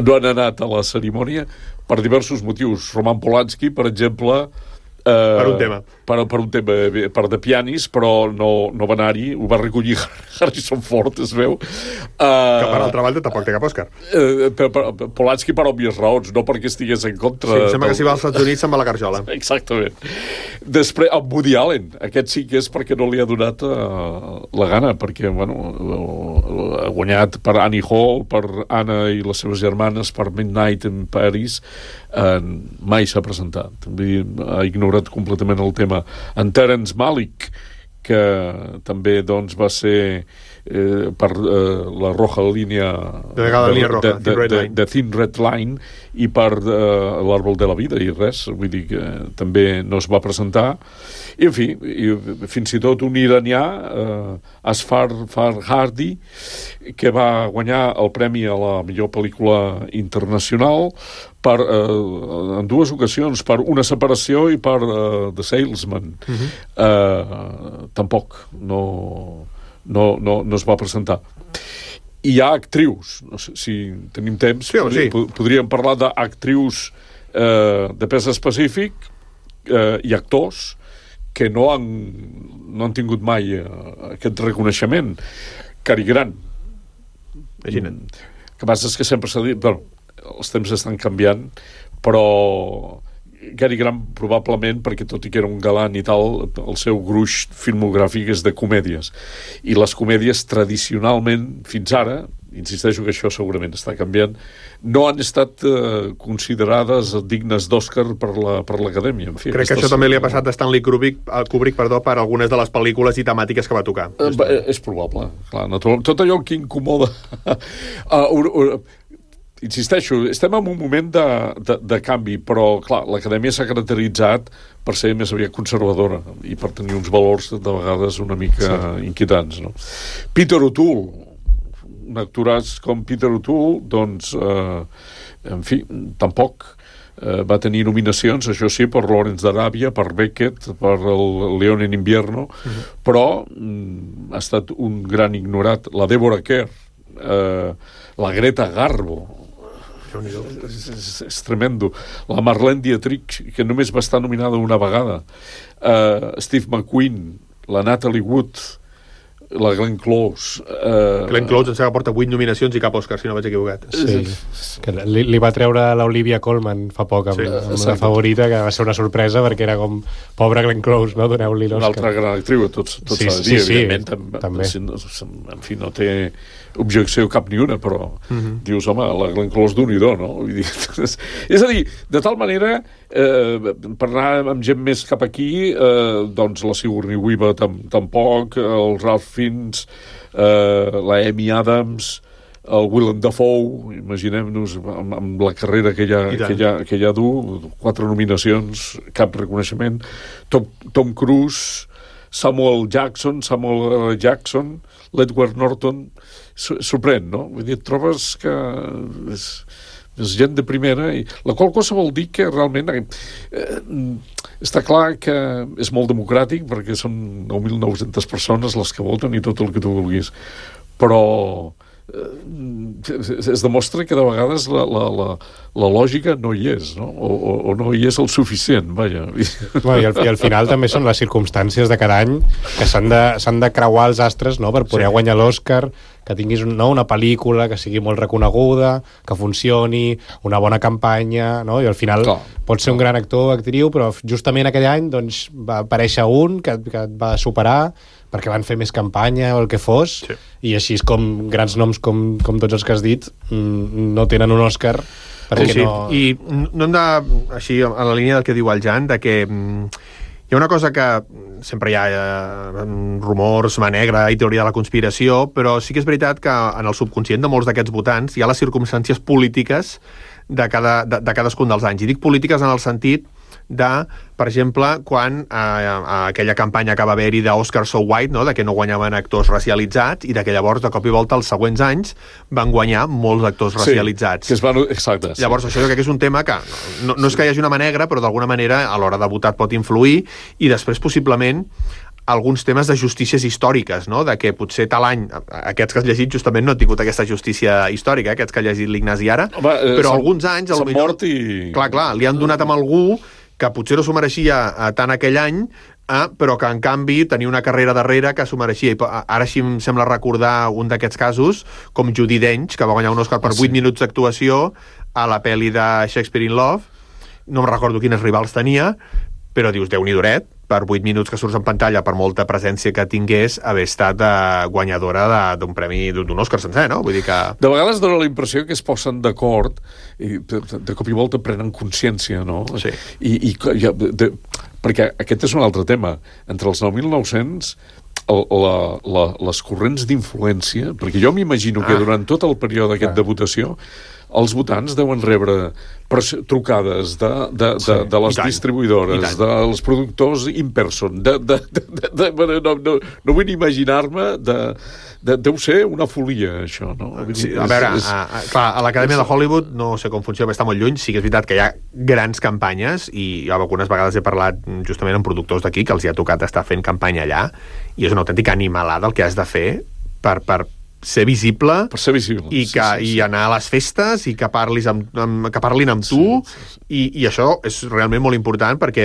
no han anat a la cerimònia per diversos motius. Roman Polanski, per exemple, per un tema. Per un tema, per de pianis, però no va anar-hi, ho va recollir Harrison Ford, es veu. Que per altra banda tampoc té cap Òscar. Polanski per òbvies raons, no perquè estigués en contra... Sí, em sembla que si va als Estats Units se'n va a la garjola. Exactament. Després, amb Woody Allen, aquest sí que és perquè no li ha donat la gana, perquè, ha guanyat per Annie Hall, per Anna i les seves germanes, per Midnight in Paris, mai s'ha presentat. Ha ignorat completament el tema. En Terence Malick, que també doncs, va ser per la roja línia de Thin Red Line i per l'Àrbol de la Vida i res, vull dir que també no es va presentar. I en fi, fins i tot un iranià, Asghar Farhadi, que va guanyar el premi a la millor pel·lícula internacional en dues ocasions, per Una separació i per The Salesman. Tampoc no es va presentar. I hi ha actrius, no sé si tenim temps, podríem parlar d'actrius de pes específic i actors que no han tingut mai aquest reconeixement. Cary Grant. Imagina't. El que passa és que sempre s'ha dit, els temps estan canviant, però Cary Grant probablement, perquè tot i que era un galant i tal, el seu gruix filmogràfic és de comèdies. I les comèdies tradicionalment, fins ara, insisteixo que això segurament està canviant, no han estat considerades dignes d'Oscar per l'Acadèmia. En fi, crec que això també li ha passat a Stanley Kubrick, per algunes de les pel·lícules i temàtiques que va tocar. És probable, clar, natural. Tot allò que incomoda... Insisteixo, estem en un moment de canvi, però, clar, l'Acadèmia s'ha caracteritzat per ser més aviat conservadora i per tenir uns valors de vegades una mica inquietants, no? Peter O'Toole, un actoràs com Peter O'Toole, doncs, en fi, tampoc va tenir nominacions, això sí, per Lawrence d'Aràbia, per Beckett, per el León en invierno, però ha estat un gran ignorat. La Deborah Kerr, la Greta Garbo, és tremendo. La Marlene Dietrich, que només va estar nominada una vegada. Steve McQueen, la Natalie Wood, la Glenn Close. Glenn Close em sembla que porta 8 nominacions i cap Òscar, si no vaig equivocat. Sí, que li va treure l'Olivia Colman fa poc amb La favorita, que va ser una sorpresa perquè era com, pobra Glenn Close, no? Doneu-li l'Òscar. Una altra gran actriu, tots s'ha de dir, evidentment. També. En fi, no té objecció cap ni una, però dius, home, la Glenn Close d'un-i-do, no? Vull dir, és a dir, de tal manera, per anar amb gent més cap aquí, doncs la Sigourney Weaver tampoc, el Ralph Fiennes, la Amy Adams, el Willem Dafoe, imaginem-nos amb la carrera que ja du, 4 nominacions, cap reconeixement, Tom Cruise, Samuel Jackson, l'Edward Norton, sorprèn, no? Vull dir, et trobes que és gent de primera, i la qual cosa vol dir que realment està clar que és molt democràtic perquè són 9.900 persones les que voten i tot el que tu vulguis, però es demostra que de vegades la lògica no hi és, no? O no hi és el suficient, vaja. Bueno, i al final també són les circumstàncies de cada any que s'han de creuar els astres, no?, per poder guanyar l'Òscar, que tinguis una pel·lícula que sigui molt reconeguda, que funcioni, una bona campanya, no? I al final pot ser un gran actor o actriu, però justament aquell any doncs, va aparèixer un que et va superar perquè van fer més campanya o el que fos, i així és com grans noms com tots els que has dit no tenen un Òscar perquè no... I no hem de, així, a la línia del que diu el Jan, de que hi ha una cosa que sempre hi ha rumors, mà negra i teoria de la conspiració, però sí que és veritat que en el subconscient de molts d'aquests votants hi ha les circumstàncies polítiques de cadascun dels anys. I dic polítiques en el sentit de, per exemple, quan aquella campanya que va haver-hi d'Oscar So White, no?, de que no guanyaven actors racialitzats, i de que llavors, de cop i volta, els següents anys van guanyar molts actors racialitzats. Que es van... Exacte. Llavors, això jo crec que és un tema que no és que hi hagi una mà negra, però d'alguna manera a l'hora de votar pot influir, i després, possiblement, alguns temes de justícies històriques, no?, de que potser tal any, aquests que has llegit justament no han tingut aquesta justícia històrica, aquests que ha llegit l'Ignasi ara, però alguns anys s'han mort i... Clar, li han donat amb algú que potser no s'ho mereixia tant aquell any, però que en canvi tenia una carrera darrere que s'ho mereixia. I ara així em sembla recordar un d'aquests casos, com Judi Dench, que va guanyar un Òscar per 8 minuts d'actuació a la pel·li de Shakespeare in Love. No em recordo quines rivals tenia, però dius, Déu-n'hi-do, per 8 minuts que surts en pantalla, per molta presència que tingués, haver estat guanyadora d'un premi, d'un Òscar sencer, no? Vull dir que... De vegades dona la impressió que es posen d'acord i de cop i volta prenen consciència, no? Sí. Perquè aquest és un altre tema. Entre els 9.900 les corrents d'influència, perquè jo m'imagino que durant tot el període aquest de votació els votants deuen rebre trucades de les distribuïdores, dels productors in person. No vull imaginar-me deu ser una folia, això, no? Sí, a veure, clar, a l'Acadèmia de Hollywood no sé com funciona, però està molt lluny. Sí que és veritat que hi ha grans campanyes, i algunes vegades he parlat justament amb productors d'aquí que els hi ha tocat estar fent campanya allà, i és una autèntica animalada el que has de fer per ser visible, i anar a les festes i que parlin amb tu, i això és realment molt important, perquè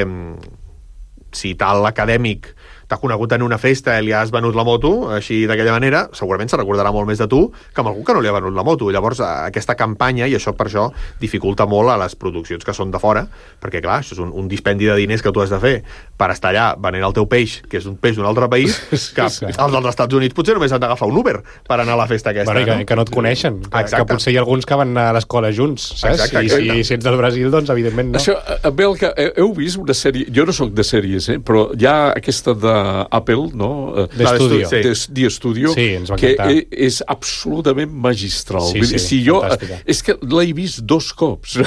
si tal acadèmic t'ha conegut en una festa i li has venut la moto, així d'aquella manera, segurament se recordarà molt més de tu que amb algú que no li ha venut la moto. Llavors, aquesta campanya, i això per això dificulta molt a les produccions que són de fora, perquè, clar, això és un dispendi de diners que tu has de fer per estar allà venent el teu peix, que és un peix d'un altre país, que els dels Estats Units potser només han d'agafar un Uber per anar a la festa aquesta. Bueno, que no et coneixen, que potser hi ha alguns que van anar a l'escola junts, saps? I si ets del Brasil, doncs evidentment no. Això, Belka, heu vist una sèrie, jo no sóc de sèries, però hi ha aquesta d'Apple, no? D'Estudio. The Studio, sí, ens va que encantar. és absolutament magistral. Sí, fantàstica. És que l'he vist 2 cops.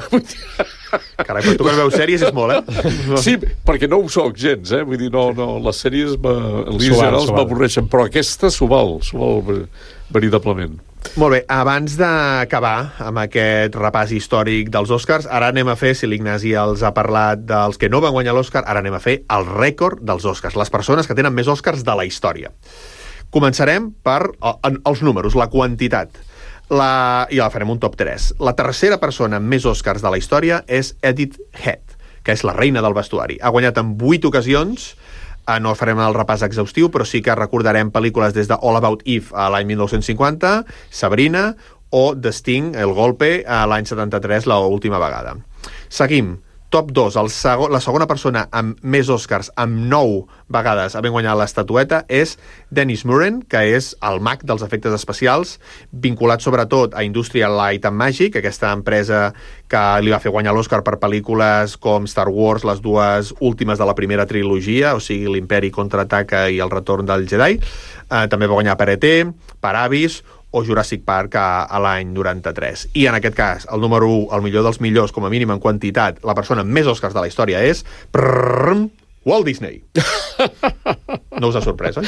Carai, però tu que veus sèries és molt, Sí, perquè no ho soc gens, vull dir, no, les sèries m'avorreixen, però aquesta s'ho val veritablement. Molt bé, abans d'acabar amb aquest repàs històric dels Oscars, ara anem a fer, si l'Ignasi els ha parlat dels que no van guanyar l'Oscar, ara anem a fer el rècord dels Oscars, les persones que tenen més Oscars de la història. Començarem per els números, la quantitat. I la farem un top 3. La tercera persona amb més Oscars de la història és Edith Head, que és la reina del vestuari. Ha guanyat en 8 ocasions. No farem el repàs exhaustiu, però sí que recordarem pel·lícules des de All About Eve a l'any 1950, Sabrina, o The Sting, El Golpe, a l'any 73, l'última vegada. Seguim. Top 2, la segona persona amb més Oscars, amb 9 vegades havent guanyat l'estatueta, és Dennis Muren, que és el mag dels efectes especials, vinculat sobretot a Industrial Light and Magic, aquesta empresa que li va fer guanyar l'Oscar per pel·lícules com Star Wars, les 2 últimes de la primera trilogia, o sigui, l'Imperi contraataca i el retorn del Jedi. També va guanyar per E.T., per Abyss, o Jurassic Park a l'any 93. I en aquest cas, el número 1, el millor dels millors, com a mínim en quantitat, la persona amb més Oscars de la història és... Walt Disney. No us ha sorprès, oi?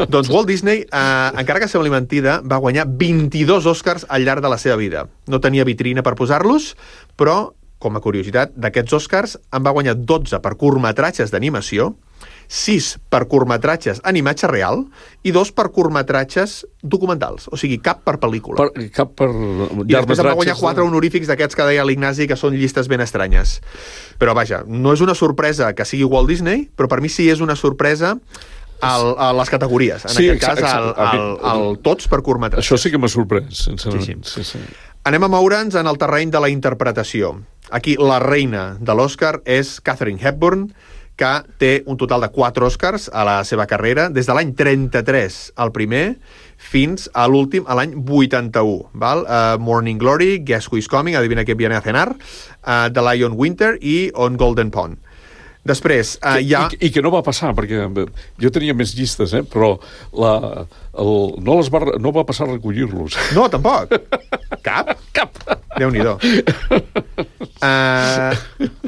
Doncs Walt Disney, encara que sembli mentida, va guanyar 22 Oscars al llarg de la seva vida. No tenia vitrina per posar-los, però, com a curiositat, d'aquests Oscars en va guanyar 12 per curtmetratges d'animació, 6 per curtmetratges en imatge real i 2 per curtmetratges documentals, o sigui, cap per pel·lícula. Cap per I després em va guanyar 4 honorífics d'aquests que deia l'Ignasi, que són llistes ben estranyes. Però vaja, no és una sorpresa que sigui Walt Disney, però per mi sí és una sorpresa a les categories. En aquest cas, el tots per curtmetratges. Això sí que m'ha sorprès, sincerament. Sí. Anem a moure'ns en el terreny de la interpretació. Aquí la reina de l'Oscar és Katharine Hepburn, que té un total de 4 Oscars a la seva carrera, des de l'any 33, el primer, fins a l'últim, a l'any 81. Val? Morning Glory, Guess Who Is Coming, Adivina que viene a cenar, The Lion Winter i On Golden Pond. Després, I que no va passar, perquè jo tenia més llistes, però no va passar a recollir-los. No, tampoc. Cap? Déu-n'hi-do.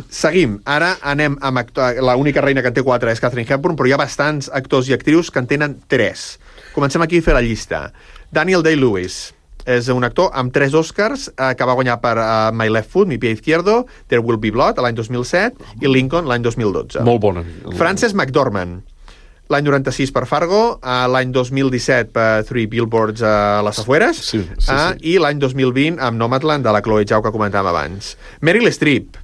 Seguim. Ara anem amb l'única reina que en té 4 és Katharine Hepburn, però hi ha bastants actors i actrius que en tenen 3. Comencem aquí a fer la llista. Daniel Day-Lewis és un actor amb 3 Oscars que va guanyar per My Left Foot, Mi Pie Izquierdo, There Will Be Blood, l'any 2007, i Lincoln, l'any 2012. Molt bona. Frances McDormand, l'any 96 per Fargo, l'any 2017 per Three Billboards a les Afueres, sí. I l'any 2020 amb Nomadland, de la Chloe Zhao, que comentàvem abans. Meryl Streep,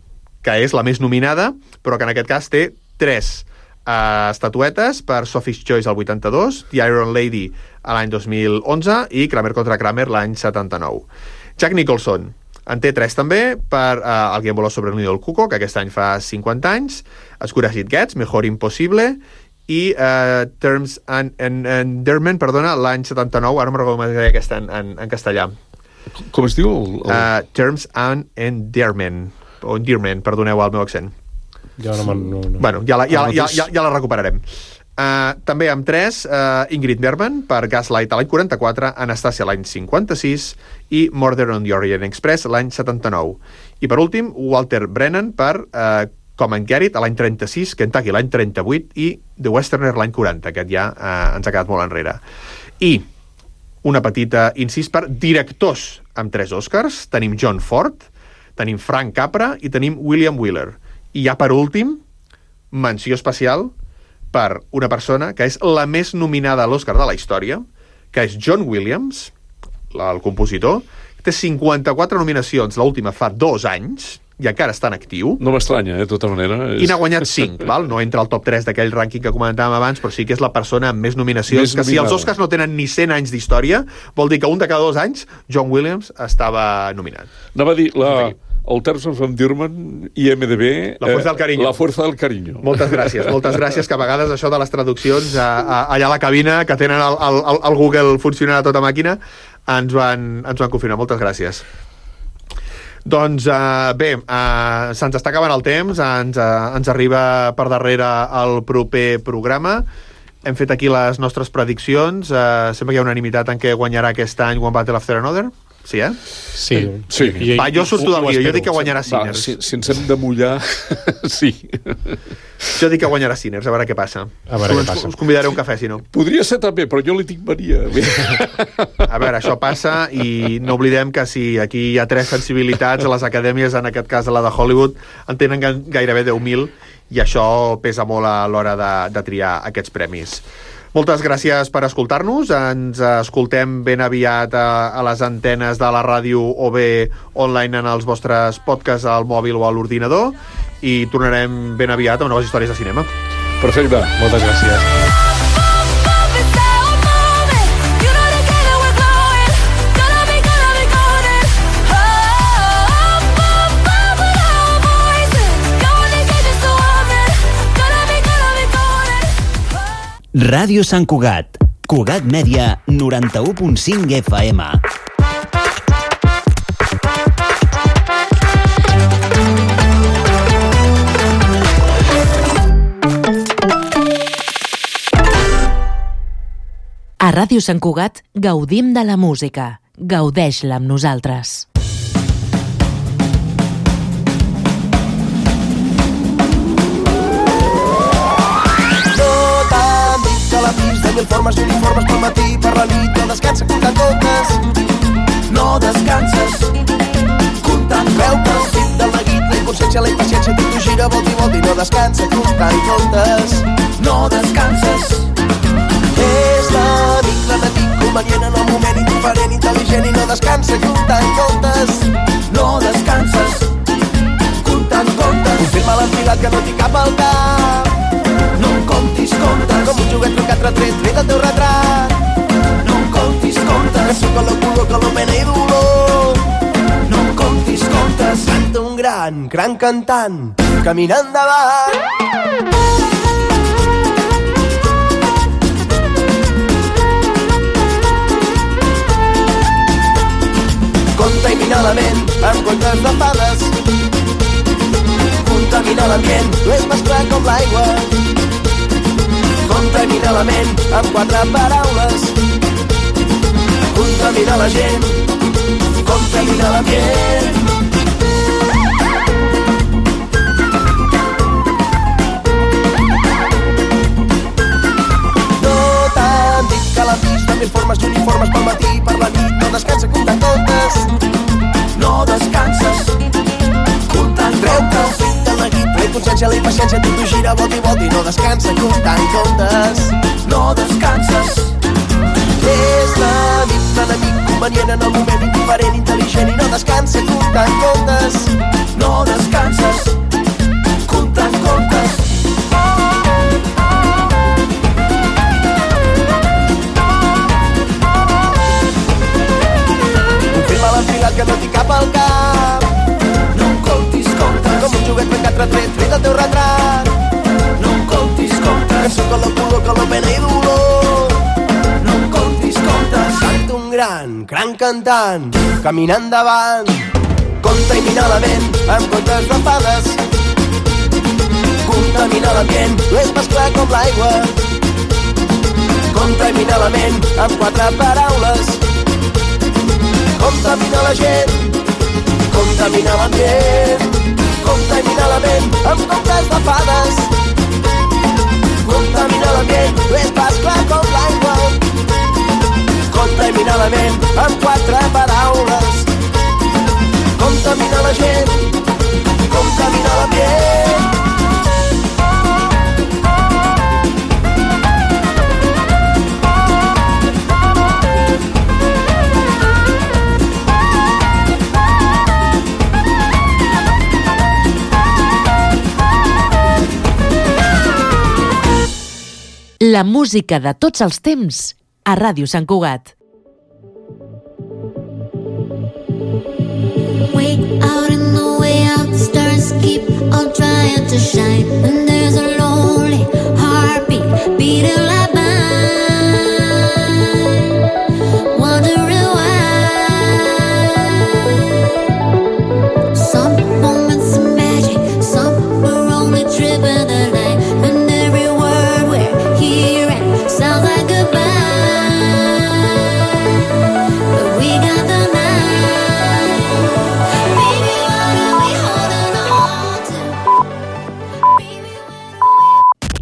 que és la més nominada, però que en aquest cas té 3 estatuetes per Sophie's Choice al 82, The Iron Lady a l'any 2011 i Kramer contra Kramer l'any 79. Jack Nicholson en té 3 també per Alguien voló sobre el nido del cuco, que aquest any fa 50 anys, As Good As It Gets, Mejor Impossible, i Terms and Endearment, perdona, l'any 79, ara no me'n recordo com es deia aquest en castellà. Com es diu? Terms and Endearment, o Endearment, perdoneu el meu accent. Jo no. Bueno, ja la recuperarem. També amb 3, Ingrid Bergman per Gaslight a l'any 44, Anastasia l'any 56 i Murder on the Orient Express l'any 79. I per últim, Walter Brennan per Come and Get It a l'any 36, Kentucky l'any 38 i The Westerner l'any 40. Aquest ja ens ha quedat molt enrere. I una petita incís per directors amb 3 Oscars. Tenim John Ford, tenim Frank Capra i tenim William Wyler. I ja per últim, menció especial per una persona que és la més nominada a l'Oscar de la història, que és John Williams, el compositor, que té 54 nominacions, l'última fa 2 anys, i encara està en actiu. No m'estranya, de tota manera. I n'ha guanyat 5, val? No entra al top 3 d'aquell rànquing que comentàvem abans, però sí que és la persona amb més nominacions, que si els Oscars no tenen ni 100 anys d'història, vol dir que un de cada 2 anys John Williams estava nominat. Anava a dir, el Terms of Endearment, IMDb... La fuerza del cariño. La fuerza del cariño. Moltes gràcies, que a vegades això de les traduccions allà a la cabina, que tenen el Google funcionant a tota màquina, ens van confirmar. Moltes gràcies. Doncs bé, se'ns està acabant el temps, ens arriba per darrere el proper programa. Hem fet aquí les nostres prediccions. Sembla que hi ha unanimitat en què guanyarà aquest any One Battle After Another. Sí, eh? Sí. Va, jo surto del guió, jo dic que guanyarà Sinners. Si ens hem de mullar, sí. Jo dic que guanyarà Sinners, a veure què passa. Us convidaré a un cafè, si no. Podria ser també, però jo li dic Maria. A veure, això passa, i no oblidem que si aquí hi ha 3 sensibilitats, a les acadèmies, en aquest cas a la de Hollywood, en tenen gairebé 10.000, i això pesa molt a l'hora de triar aquests premis. Moltes gràcies per escoltar-nos. Ens escoltem ben aviat a les antenes de la ràdio o bé online en els vostres podcasts al mòbil o a l'ordinador, i tornarem ben aviat amb noves històries de cinema. Perfecte, moltes gràcies. Ràdio Sant Cugat. Cugat Mèdia, 91.5 FM. A Ràdio Sant Cugat gaudim de la música. Gaudeix-la amb nosaltres. Mil formes i uniformes pel matí, per la nit, no descansa comptant comptes. No descanses comptant comptes. Fit del neguit, la inconsciència, la impaciència, tot t'ho gira, volta i volta, i no descansa comptant comptes. No descanses. És l'amic, l'enemic, convenient en el moment, indiferent, intel·ligent, i no descansa comptant comptes. No descanses comptant comptes. Confirma l'enfilat que no t'hi cap al cap. No em comptis comptes. Com un joguet trucat retret, fet el teu retrat. No em comptis comptes. Que sóc el color, que l'omena i dolor. No em comptis comptes. Canta un gran cantant, caminant endavant. Contamina la ment amb contes de fades. Contamina l'ambient, no és més clar com l'aigua. Contamina la ment amb 4 paraules. Contamina la gent, contamina l'ambient. No t'han dit que l'han vist amb mil formes i uniformes pel matí, per la nit, no descansa comptant comptes. No descanses comptant comptes. La inconsciència, la impaciència, tot t'ho gira, volta i volta, i no descansa comptant comptes. No descanses. És l'enemic, convenient en el moment, indiferent, intel·ligent, i no descansa comptant comptes. No descanses comptant comptes. Confirma l'enfilat que no t'hi cap al cap. No em comptis comptes. Com un joguet trencat retret, fet el teu retrat. No em comptis comptes. Que sóc el color, que l'omena i dolor. No em comptis comptes. Canta un gran cantant, caminant endavant. Contamina la ment amb contes de fades. Contamina l'ambient, no és més clar com l'aigua. Contamina la ment amb 4 paraules. Contamina la gent, contamina l'ambient. Contamina la ment amb contes de fades. Contamina l'ambient, no és pas clar com l'aigua. Contamina la ment amb 4 paraules. Contamina la gent, contamina l'ambient. La música de tots els temps a Ràdio Sant Cugat. Wait out in the way out, the stars keep on trying to shine, and there's a